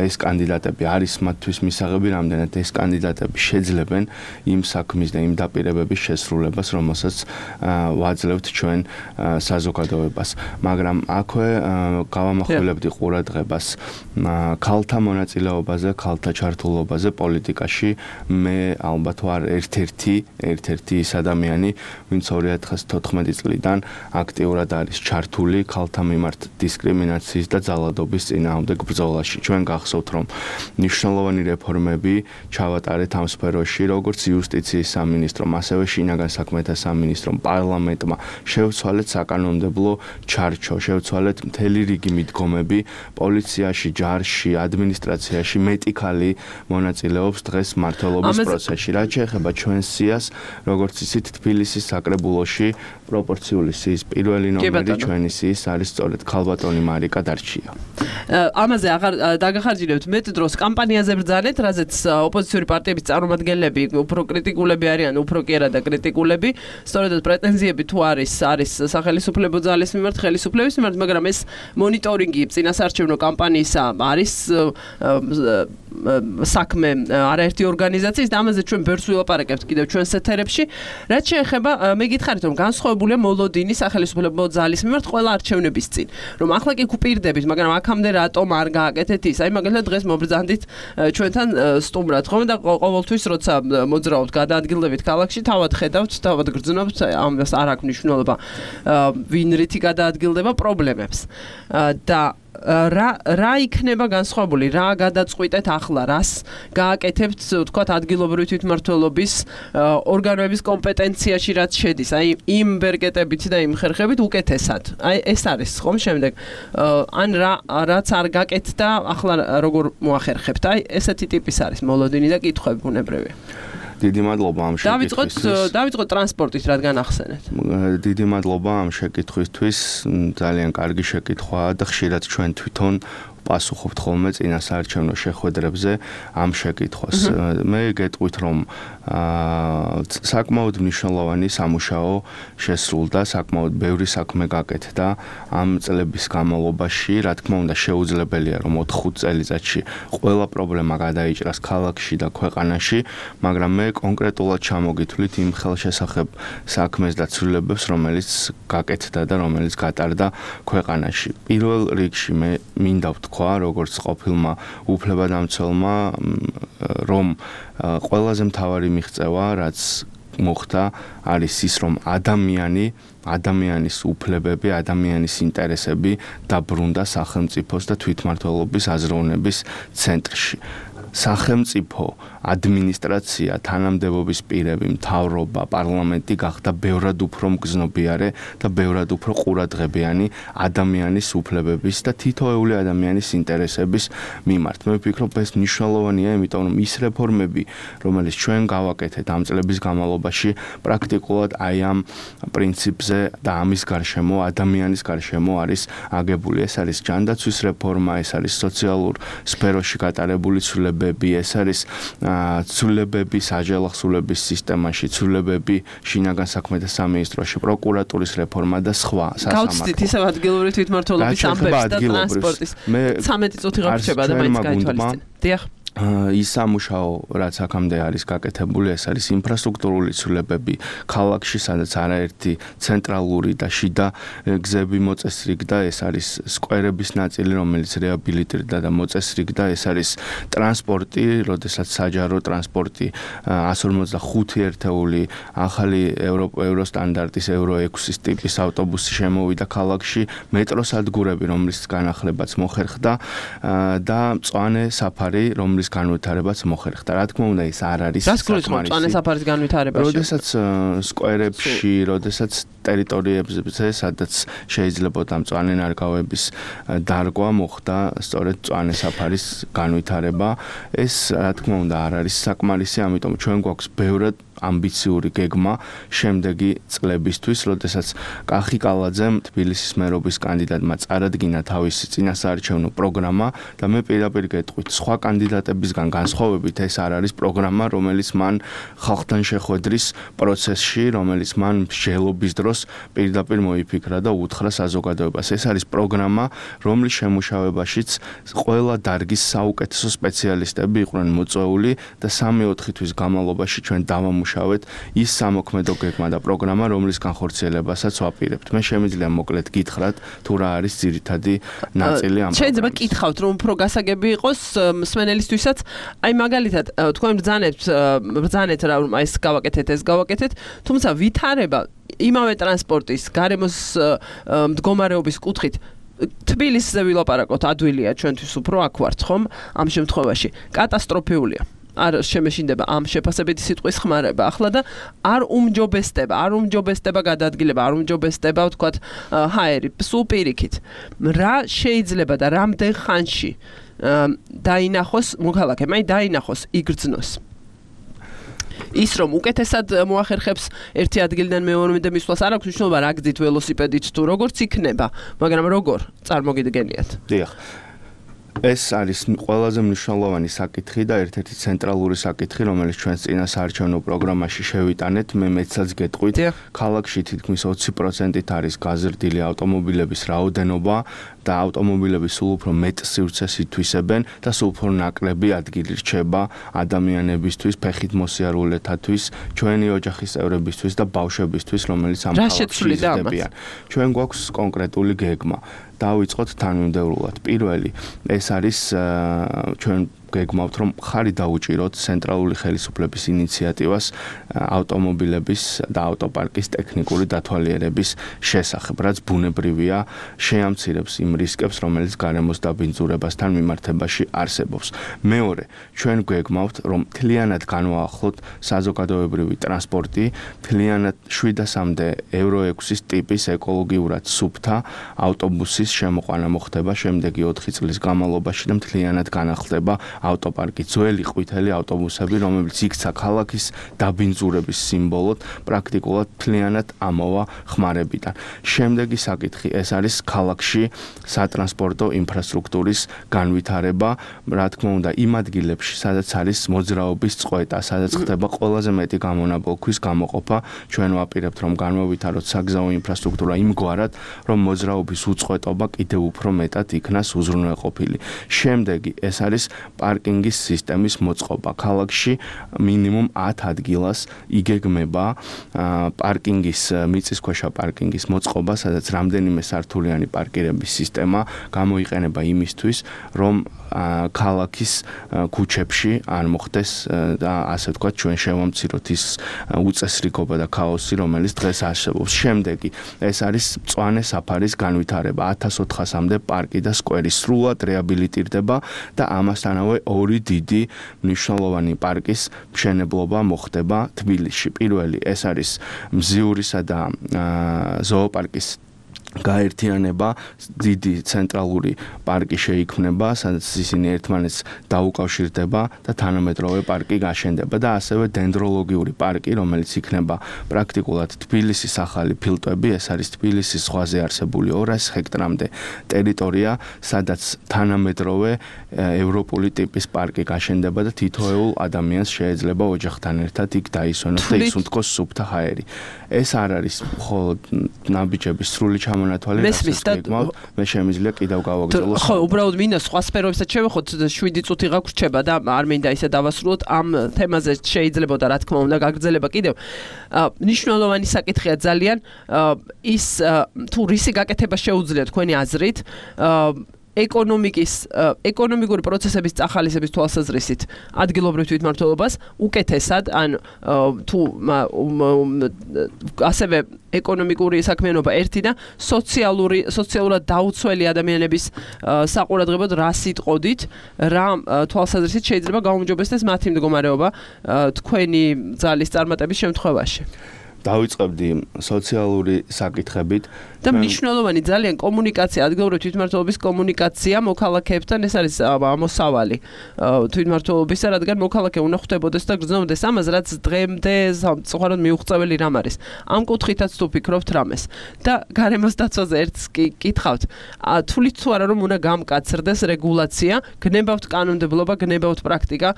ეს კანდიდატები არის მათთვის მისაღები, რამდენად ეს კანდიდატები შეძლებენ იმ საქმის და იმ დაპირებების შესრულებას, რომელსაც ვაძლევთ ჩვენ საზოგადოებას. მაგრამ აქვე გავამახვილებდი ყურადღებას ქალთა მონაწილეობაზე, ქალთა ჩართულობაზე პოლიტიკაში. ბრძოლაში მე ალბათ ვარ ერთ-ერთი ერთ-ერთი ის ადამიანი, ვინც ორი ათას თოთხმეტი წლიდან აქტიურად არის ჩართული ქალთა მიმართ დისკრიმინაციის და ძალადობის წინააღმდეგ ბრძოლაში. ჩვენ გახსოვთ, რომ მნიშვნელოვანი რეფორმები ჩავატარეთ ამ სფეროში, როგორც იუსტიციის სამინისტრომ, ასევე შინაგან საქმეთა სამინისტრომ, პარლამენტმა შევცვალეთ საკანონმდებლო ჩარჩო, შევცვალეთ მთელი რიგი მიდგომები, პოლიციაში, ჯარში, ადმინისტრაციაში მეტი ქალი მონაწილეობს დღეს მმართველობის პროცესში. რაც შეეხება ჩვენს სიას, როგორც იცით, თბილისის საკრებულოში პროპორციული სიის პირველი ნომერი ჩვენი სიის არის სწორედ ქალბატონი მარიკა დარჩია. ამაზე აღარ დაგახარჯინებთ მეტ დროს კამპანიაზე ბრძანეთ, რაზეც ოპოზიციური პარტიების წარმომადგენლები უფრო კრიტიკულები არიან, უფრო კი არა და კრიტიკულები. სწორედ პრეტენზიები თუ არის არის სახელმწიფო ძალის მიმართ, ხელისუფლების მიმართ, მაგრამ ეს მონიტორინგი წინასაარჩევნო კამპანიისა არის საქმე არაერთი ორგანიზაციის და ამაზე ჩვენ ბევრს ვილაპარაკებთ კიდევ ჩვენს ეთერებში. რაც შეეხება მე გითხარით, რომ განსხვავებულია მოლოდინი სახელმწიფო ძალის მიმართ ყველა არჩევნების წინ. რომ ახლა კი გუპირდებით, მაგრამ აქამდე რატომ არ გააკეთეთ ის? აი მაგალითად დღეს მობრძანდით ჩვენთან სტუმრად, ხომ და ყოველთვის როცა მოძრაობთ, გადაადგილდებით ქალაქში, თავად ხედავთ, თავად გრძნობთ, ამას არ აქვს მნიშვნელობა ვინ რითი გადაადგილდება პრობლემებს. და რა რა იქნება განსხვავებული, რა გადაწყვიტეთ ახლა, რას გააკეთებთ, თქვათ, ადგილობრივი თვითმმართველობის ორგანოების კომპეტენციაში რაც შედის, აი იმ ბერკეტებით და იმ ხერხებით უკეთესად. აი ეს არის ხომ შემდეგ. ან რა რაც არ გაკეთდა, ახლა როგორ მოახერხებთ? აი ესეთი ტიპის არის მოლოდინი და კითხვები ბუნებრივია. დიდი მადლობა ამ შეკითხვისთვის. დავიწყოთ დავიწყოთ ტრანსპორტით, რადგან ახსენეთ. დიდი მადლობა ამ შეკითხვისთვის. ძალიან კარგი შეკითხვაა და ხშირად ჩვენ თვითონ პასუხობთ ხოლმე წინასაარჩევნო შეხვედრებზე ამ შეკითხვას. მე გეტყვით, რომ საკმაოდ მნიშვნელოვანი სამუშაო შესრულდა, საკმაოდ ბევრი საქმე გაკეთდა ამ წლების განმავლობაში. რა თქმა უნდა, შეუძლებელია, რომ ოთხ-ხუთ წელიწადში ყველა პრობლემა გადაიჭრას ქალაქში და ქვეყანაში, მაგრამ მე კონკრეტულად ჩამოგითვლით იმ ხელშესახებ საქმეს და ცვლილებებს, რომელიც გაკეთდა და რომელიც გატარდა ქვეყანაში. პირველ რიგში მე მინდა თქვა, როგორც ყოფილმა უფლებადამცველმა, რომ ყველაზე მთავარი მიღწევა, რაც მოხდა, არის ის, რომ ადამიანი, ადამიანის უფლებები, ადამიანის ინტერესები დაბრუნდა სახელმწიფოს და თვითმმართველობის აზროვნების ცენტრში. სახელმწიფო, ადმინისტრაცია, თანამდებობის პირები, მთავრობა, პარლამენტი გახდა ბევრად უფრო მგზნობიარე და ბევრად უფრო ყურადღებიანი ადამიანის უფლებების და თითოეული ადამიანის ინტერესების მიმართ. მე ვფიქრობ, ეს მნიშვნელოვანია, იმიტომ რომ ის რეფორმები, რომელიც ჩვენ გავაკეთეთ ამ წლების განმავლობაში, პრაქტიკულად აი ამ პრინციპზე და ამის გარშემო, ადამიანის გარშემო არის აგებული. ეს არის ჯანდაცვის რეფორმა, ეს არის სოციალურ სფეროში გატარებული ცვლილებები, ეს არის ცვლილებები საჯელახსულების სისტემაში, ცვლილებები შინაგან საქმეთა სამინისტროში, პროკურატურის რეფორმა და სხვა სასამართლო. გავცდით ისევ ადგილობრივი თვითმმართველობის ამბებს და ტრანსპორტის. სამეტი წუთი გავრჩება და მაინც გაითვალისწინეთ. დიახ. ის სამუშაო, რაც აქამდე არის გაკეთებული, ეს არის ინფრასტრუქტურული ცვლილებები ქალაქში, სადაც არაერთი ცენტრალური და შიდა გზები მოწესრიგდა, ეს არის სკვერების ნაწილი, რომელიც რეაბილიტირდა და მოწესრიგდა, ეს არის ტრანსპორტი, როდესაც საჯარო ტრანსპორტი εκατს ორმოცდახუთი ერთეული ახალი ევროსტანდარტის ევრო ექვსის ტიპის ავტობუსი შემოვიდა ქალაქში, მეტროს სადგურები, რომლის განახლებაც მოხერხდა და მწვანე საფარი, რომლის განვითარებაც მოხერხდა. რა თქმა უნდა, ეს არ არის საკმარისი. მწვანე საფარის განვითარებაში. როდესაც სკვერებში, როდესაც ტერიტორიებზე, სადაც შეიძლება მწვანე ნარგავების დარგვა მოხდა, სწორედ მწვანე საფარის განვითარება, ეს რა თქმა უნდა არ არის საკმარისი, ამიტომ ჩვენ გვაქვს ბევრად ამბიციური გეგმა შემდეგი წლებისთვის, როდესაც კახი კალაძემ თბილისის მერობის კანდიდატმა წარადგინა თავისი წინასაარჩევნო პროგრამა და მე პირდაპირ გეტყვით, სხვა კანდიდატებისგან განსხვავებით ეს არ არის პროგრამა, რომელიც მან ხალხთან შეხვედრის პროცესში, რომელიც მან მსჯელობის დროს პირდაპირ მოიფიქრა და უთხრა საზოგადოებას. ეს არის პროგრამა, რომლის შემუშავებაშიც ყველა დარგის საუკეთესო სპეციალისტები იყვნენ მოწვეული და სამი-ოთხი თვის განმავლობაში ჩვენ დავამუშავეთ ის სამოქმედო გეგმა და პროგრამა, რომლის განხორციელებასაც ვაპირებთ. მე შემიძლია მოკლედ გითხრათ, თუ რა არის ძირითადი ნაწილი ამ პროგრამის. შეიძლება გითხავთ, რომ უფრო გასაგები იყოს მსმენელისთვის როდესაც აი მაგალითად თქვენ ბრძანებთ ბრძანეთ რა რომ ეს გავაკეთეთ ეს გავაკეთეთ თუმცა ვითარება იმავე ტრანსპორტის გარემოს მდგომარეობის კუთხით თბილისზე ვილაპარაკოთ ადვილია ჩვენთვის უფრო აქ ვართ ხომ ამ შემთხვევაში კატასტროფიულია არ შემეშინდება ამ შეფასებითი სიტყვის ხმარება ახლა და არ უმჯობესდება არ უმჯობესდება გადაადგილება არ უმჯობესდება ვთქვათ ჰაერი სულ პირიქით რა შეიძლება და რამდენ ხანში დაინახოს მოქალაქემ აი დაინახოს იგრძნოს ის რომ უკეთესად მოახერხებს ერთი ადგილიდან მეორემდე მისვლას არ აქვს მნიშვნელობა რა გზით ველოსიპედით თუ როგორც იქნება მაგრამ როგორ წარმოგიდგენიათ დიახ ეს არის ყველაზე მნიშვნელოვანი საკითხი და ერთ-ერთი ცენტრალური საკითხი, რომელიც ჩვენს წინა საარჩევნო პროგრამაში შევიტანეთ. მე მეცაც გეტყვით, ქალაქში თითქმის ოცი პროცენტით არის გაზრდილი ავტომობილების რაოდენობა და ავტომობილები სულ უფრო მეტ სივრცეს ითვისებენ და სულ უფრო ნაკლები ადგილი რჩება ადამიანებისთვის, ფეხით მოსიარულეთათვის, ჩვენი ოჯახის წევრებისთვის და ბავშვებისთვის, რომელიც ამ ქალაქში იზრდებიან. ჩვენ გვაქვს კონკრეტული გეგმა. დავიწყოთ თანმიმდევრულად. პირველი, ეს არის ჩვენ გეგმავთ რომ ხარი დაუჭიროთ ცენტრალური ხელისუფლების ინიციატივას ავტომობილების და ავტოპარკის ტექნიკური დათვალიერების შესახებ, რაც ბუნებრივია, შეამცირებს იმ რისკებს, რომელიც გარემოს დაბინძურებასთან მიმართებაში არსებობს. მეორე, ჩვენ გეგმავთ რომ მთლიანად განვაახლოთ საზოგადოებრივი ტრანსპორტი, მთლიანად შვიდასამდე ევრო ექვსის ტიპის ეკოლოგიურად სუფთა ავტობუსის შემოყვანა მოხდება შემდეგი ოთხი წლის განმავლობაში და მთლიანად განახლდება ავტოპარკი ძველი ყვითელი ავტობუსები, რომელიც იქცა ქალაქის დაბინძურების სიმბოლოდ, პრაქტიკულად მთლიანად ამოვა ხმარებიდან. შემდეგი საკითხი ეს არის ქალაქში სატრანსპორტო ინფრასტრუქტურის განვითარება, რა თქმა უნდა, იმ ადგილებში, სადაც არის მოძრაობის წყვეტა, სადაც ხდება ყველაზე მეტი გამონაბოლქვის გამოყოფა, ჩვენ ვაპირებთ რომ განმოვითაროთ საგზაო ინფრასტრუქტურა იმგვარად, რომ მოძრაობის უწყვეტობა კიდევ უფრო მეტად იქნას უზრუნველყოფილი. შემდეგი ეს არის პარკინგის სისტემის მოწყობა. ქალაქში მინიმუმ ათ ადგილას იგეგმება პარკინგის მიწისქვეშა პარკინგის მოწყობა, სადაც რამდენიმე სართულიანი პარკირების სისტემა გამოიყენება იმისთვის, რომ ქალაქის ქუჩებში არ მოხდეს და ასე ვთქვათ, ჩვენ შევამციროთ ის უწესრიგობა და ქაოსი, რომელიც დღეს არსებობს. შემდეგი ეს არის მწვანე საფარის განვითარება. ათას ოთხასამდე პარკი და სკვერი სრულად რეაბილიტირდება და ამასთანავე ორი დიდი მნიშვნელოვანი პარკის მშენებლობა მოხდება თბილისში. პირველი ეს არის მზიურისა და ზოოპარკის გაერთიანება, დიდი ცენტრალური პარკი შეიქმნება, სადაც ისინი ერთმანეთს დაუკავშირდება და თანამედროვე პარკი გაშენდება და ასევე დენდროლოგიური პარკი, რომელიც იქნება პრაქტიკულად თბილისის ახალი ფილტვები, ეს არის თბილისის ზღვაზე არსებული ორასი ჰექტრამდე ტერიტორია, სადაც თანამედროვე ევროპული ტიპის პარკი გაშენდება და თითოეულ ადამიანს შეიძლება ოჯახთან ერთად იქ დაისვენოს და ისუნთქოს სუფთა ჰაერი. ეს არ არის მხოლოდ ნაბიჯების სრული მონათვალი მე შემიძლია კიდევ გავაგრძელო. ხო, უბრალოდ მინდა სხვა სფეროებსაც შევეხოთ, შვიდი წუთი გაგვრჩება და არ მინდა ისე დავასრულოთ ამ თემაზე შეიძლებოდა რა თქმა უნდა გაგრძელება კიდევ. მნიშვნელოვანი საკითხია ძალიან ის თუ რისი გაკეთება შეუძლია თქვენი აზრით ეკონომიკის ეკონომიკური პროცესების წახალისების თვალსაზრისით ადგილობრივ თვითმმართველობას უკეთესად ან თუ ასევე ეკონომიკური საქმიანობა ერთი და სოციალური სოციალურად დაუცველი ადამიანების საყურადღებოდ რა სიტყოდით რა თვალსაზრისით შეიძლება გაუმჯობესდეს მათი მდგომარეობა თქვენი ძალის წარმატების შემთხვევაში. დავიწყებდი სოციალური საკითხებით და მნიშვნელოვანი ძალიან კომუნიკაცია, ადგილობრივ თვითმმართველობის კომუნიკაცია მოქალაქეებთან, ეს არის ამოსავალი თვითმმართველობისა, რადგან მოქალაქე უნდა ხვდებოდეს და გრძნობდეს ამას, რაც დღემდე საერთოდ მიუღწეველი რამ არის. ამ კუთხითაც თუ ფიქრობთ რამეს და გარემოს დაცვაზე ერთს კითხავთ, თulit თუ არა რომ უნდა გამკაცრდეს რეგულაცია, გნებავთ კანონმდებლობა, გნებავთ პრაქტიკა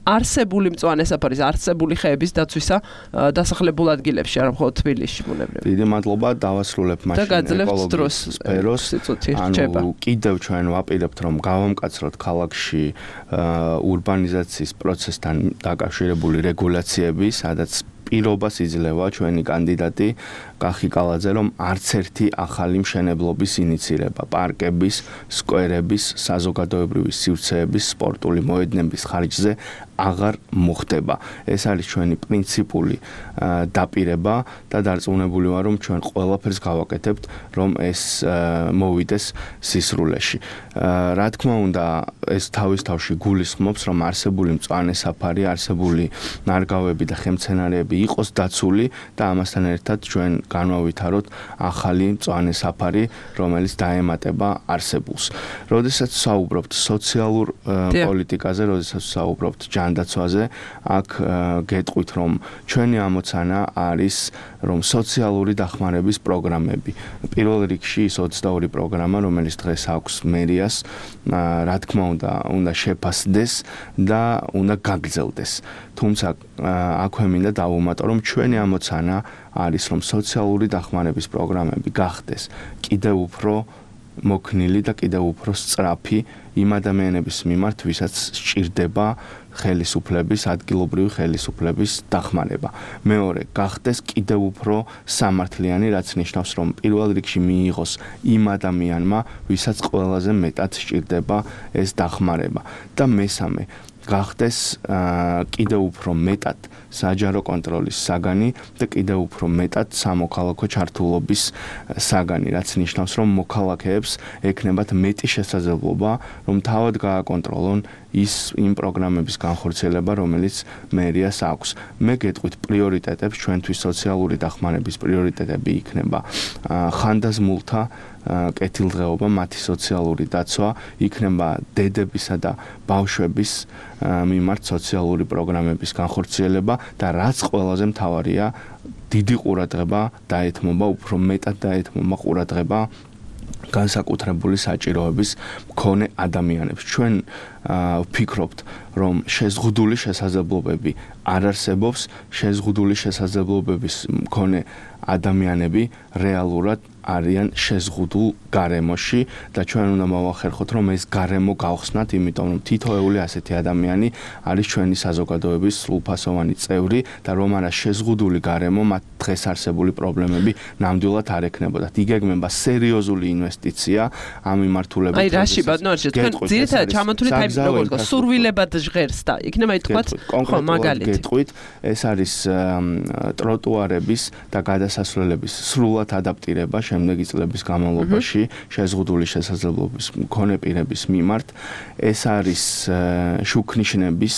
არსებული მწვანე საფარის, არსებული ხეების დაცვისა დასახლებულ ადგილებში, არა მხოლოდ თბილისში ბუნებრივი. დიდი მადლობა, დავასრულებ მაშინ ეკოლოგიის სფეროს. ანუ კიდევ ჩვენ ვაპირებთ რომ გავამკაცროთ ქალაქში ურბანიზაციის პროცესთან დაკავშირებული რეგულაციები, სადაც პირობას იძლევა ჩვენი კანდიდატი კახი კალაძე, რომ არც ერთი ახალი მშენებლობის ინიცირება, პარკების, სკვერების, საზოგადოებრივი სივრცეების, სპორტული მოედნების ხარჯზე აღარ მოხდება. ეს არის ჩვენი პრინციპული დაპირება და დარწმუნებული ვარ, რომ ჩვენ ყველაფერს გავაკეთებთ, რომ ეს მოვიდეს სისრულეში. რა თქმა უნდა, ეს თავის თავში გულისხმობს, რომ არსებული მწვანე საფარი, არსებული ნარგავები და ხემცენარეები იყოს დაცული და ამასთან ერთად ჩვენ განვავითაროთ ახალი მწვანე საფარი, რომელიც დაემატება არსებულს. როდესაც საუბრობთ სოციალურ პოლიტიკაზე, როდესაც საუბრობთ ჯანდაცვაზე, აქ გეტყვით, რომ ჩვენი ამოცანა არის, რომ სოციალური დახმარების პროგრამები, პირველ რიგში ის ოცდაორი პროგრამა, რომელიც დღეს აქვს მერიას, რა თქმა უნდა, უნდა შეფასდეს და უნდა გაგრძელდეს. თუმცა აქვე მინდა დავუმატო, რომ ჩვენი ამოცანა არის, რომ სოციალური დახმარების პროგრამები გახდეს კიდევ უფრო მოქნილი და კიდევ უფრო სწრაფი იმ ადამიანების მიმართ, ვისაც სჭირდება ხელისუფლების, ადგილობრივი ხელისუფლების დახმარება. მეორე, გახდეს კიდევ უფრო სამართლიანი, რაც ნიშნავს, რომ პირველ რიგში მიიღოს იმ ადამიანმა, ვისაც ყველაზე მეტად სჭირდება ეს დახმარება. და მესამე, გახდეს კიდევ უფრო მეტად საჯარო კონტროლის საგანი და კიდევ უფრო მეტად სამოქალაქო ჩართულობის საგანი, რაც ნიშნავს, რომ მოქალაქეებს ექნებათ მეტი შესაძლებლობა, რომ თავად გააკონტროლონ ის იმ პროგრამების განხორციელება, რომელიც მერიას აქვს. მე გეტყვით პრიორიტეტებს, ჩვენთვის სოციალური დახმარების პრიორიტეტები იქნება ხანდაზმულთა კეთილდღეობა, მათი სოციალური დაცვა, იქნება დედებისა და ბავშვების მიმართ სოციალური პროგრამების განხორციელება და რაც ყველაზე მთავარია, დიდი ყურადღება დაეთმობა, უფრო მეტად დაეთმობა ყურადღება განსაკუთრებული საჭიროების მქონე ადამიანებს. ჩვენ ვფიქრობთ, რომ შეზღუდული შესაძლებლობები არ არსებობს, შეზღუდული შესაძლებლობების მქონე ადამიანები რეალურად არიან შეზღუდულ გარემოში და ჩვენ უნდა მოვახერხოთ, რომ ეს გარემო გავხსნათ, იმიტომ რომ თითოეული ასეთი ადამიანი არის ჩვენი საზოგადოების სრულფასოვანი წევრი და რომ არა შეზღუდული გარემო, მათ დღეს არსებული პრობლემები ნამდვილად არ ექნებოდათ. იგეგმება სერიოზული ინვესტიცია ამ მიმართულებით. აი რაში ბატონო, თქვენ ძირითადად ჩამოთვლით აი როგორ გქონდა სურვილებად ჟღერს და იქნება ითქვათ, ხო, მაგალითად. გეტყვით, ეს არის ტროტუარების და გადასასვლელების სრულად ადაპტირება შემდეგი წლების განმავლობაში შეზღუდული შესაძლებლობის მქონე პირების მიმართ. ეს არის შუქნიშნების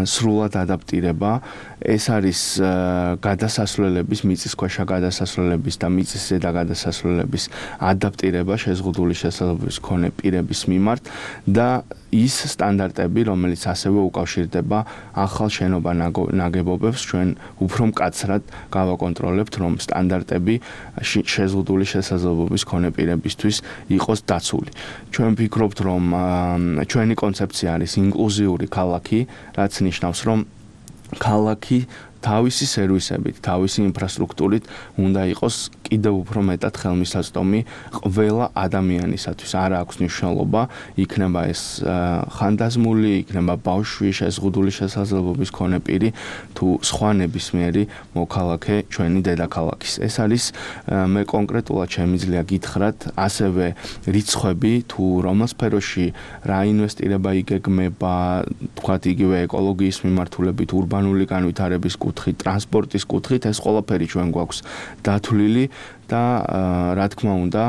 სრულად ადაპტირება, ეს არის გადასასვლელების, მიწისქვეშა გადასასვლელების და მიწისზედა გადასასვლელების ადაპტირება შეზღუდული შესაძლებლობის მქონე პირების მიმართ და ის სტანდარტები, რომელიც ასევე უკავშირდება ახალ შენობა ნაგებობებს, ჩვენ უფრო მკაცრად გავაკონტროლებთ, რომ სტანდარტები შეზღუდული შესაძლებლობის მქონე პირებისთვის იყოს დაცული. ჩვენ ვფიქრობთ, რომ ჩვენი კონცეფცია არის ინკლუზიური ქალაქი, რაც ნიშნავს, რომ ქალაქი თავისი სერვისებით, თავისი ინფრასტრუქტურით უნდა იყოს კიდევ უფრო მეტად ხელმისაწვდომი ყველა ადამიანისათვის. არ აქვს მნიშვნელობა, იქნება ეს ხანდაზმული, იქნება ბავშვი, შეზღუდული შესაძლებლობის მქონე პირი თუ სხვა ნებისმიერი მოქალაქე ჩვენი დედაქალაქის. ეს არის მე კონკრეტულად შემიძლია გითხრათ, ასევე რიცხვები თუ რომელ სფეროში რა ინვესტირება იგეგმება, თქვათ იგივე ეკოლოგიის მიმართულებით, ურბანული განვითარების კუთხით, ტრანსპორტის კუთხით, ეს ყველაფერი ჩვენ გვაქვს დათვლილი და რა თქმა უნდა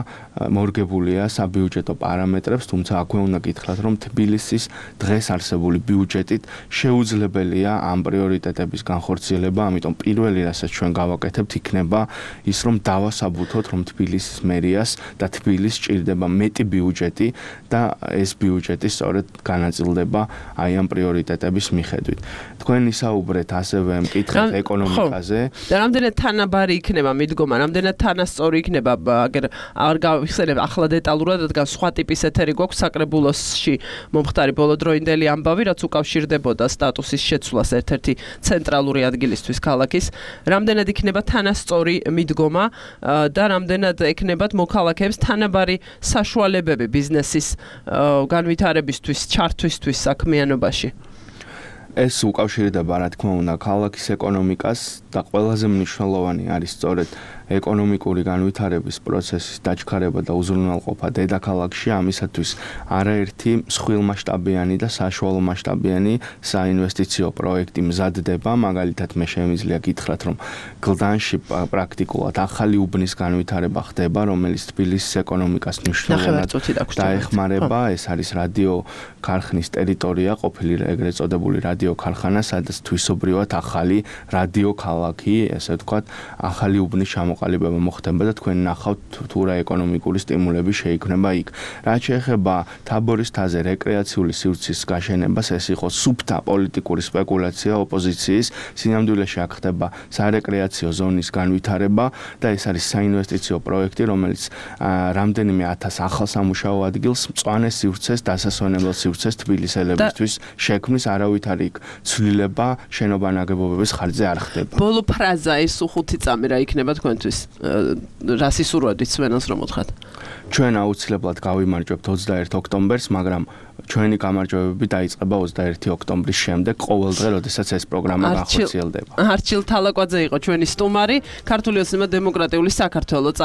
მორგებულია საბიუჯეტო პარამეტრებს, თუმცა აქვე უნდა გითხრათ, რომ თბილისის დღეს არსებული ბიუჯეტით შეუძლებელია ამ პრიორიტეტების განხორციელება, ამიტომ პირველი რასაც ჩვენ გავაკეთებთ იქნება ის, რომ დავასაბუთოთ, რომ თბილისის მერიას და თბილისს სჭირდება მეტი ბიუჯეტი და ეს ბიუჯეტი სწორედ განაწილდება აი ამ პრიორიტეტების მიხედვით. თქვენ ისაუბრეთ ასევე მკითხეთ ეკონომიკაზე და რამდენად თანაბარი იქნება მიდგომა, რამდენად თანასწორი იქნება, აგერ არ გავიხსენებ ახლა დეტალურად, რადგან სხვა ტიპის ეთერი გვაქვს საკრებულოსში მომხდარი ბოლოდროინდელი ამბავი, რაც უკავშირდებოდა სტატუსის შეცვლას ერთ-ერთი ცენტრალური ადგილისთვის ქალაქის. რამდენად იქნება თანასწორი მიდგომა და რამდენად ექნებათ მოქალაქეებს თანაბარი საშუალებები ბიზნესის განვითარებისთვის, ჩართვისთვის საქმიანობაში. ეს უკავშირდება, რა თქმა უნდა, ქალაქის ეკონომიკას და ყველაზე მნიშვნელოვანი არის სწორედ ეკონომიკური განვითარების პროცესის დაჩქარება და უზრუნველყოფა დედაქალაქში, ამისათვის არაერთი მსხვილმასშტაბიანი და საშუალო მასშტაბიანი საინვესტიციო პროექტი მზადდება, მაგალითად მე შემიძლია გითხრათ, რომ გლდანში პრაქტიკულად ახალი უბნის განვითარება ხდება, რომელიც თბილისის ეკონომიკას მნიშვნელოვნად დაეხმარება, ეს არის რადიო ქარხნის ტერიტორია, ყოფილი ეგრეთ წოდებული რადიო ქარხანა, სადაც თვისობრივად ახალი რადიო ქალაქი, ესე ვთქვათ, ახალი უბნის ჩამოყალიბება მოხდება და თქვენ ნახავთ თუ რა ეკონომიკური სტიმულები შეიქმნება იქ. რაც შეეხება თაბორის თაზე რეკრეაციული სივრცის გაშენებას, ეს იყო სუფთა პოლიტიკური სპეკულაცია ოპოზიციის, სინამდვილეში აქ ხდება სარეკრეაციო ზონის განვითარება და ეს არის საინვესტიციო პროექტი, რომელიც რამდენიმე ათას ახალ სამუშაო ადგილს, მწვანე სივრცეს, დასასვენებელ სივრცეს თბილისელებისთვის შექმნის, არავითარი იქ ცვლილება შენობა ნაგებობების ხარჯზე არ ხდება. ბოლო ფრაზა ეს ხუთი წამი რა იქნება თქვენთვის? რა სისურვებით სვენელს რომ უთხრათ? ჩვენ აუცილებლად გავიმარჯვებთ ოცდაერთი ოქტომბერს, მაგრამ ჩვენი გამარჯვებები დაიწყება ოცდაერთი ოქტომბრის შემდეგ, ყოველ დღე, როდესაც ეს პროგრამა განხორციელდება. არჩილ თალაკვაძე იყო ჩვენი სტუმარი, ქართული ოცნება დემოკრატიული საქართველოს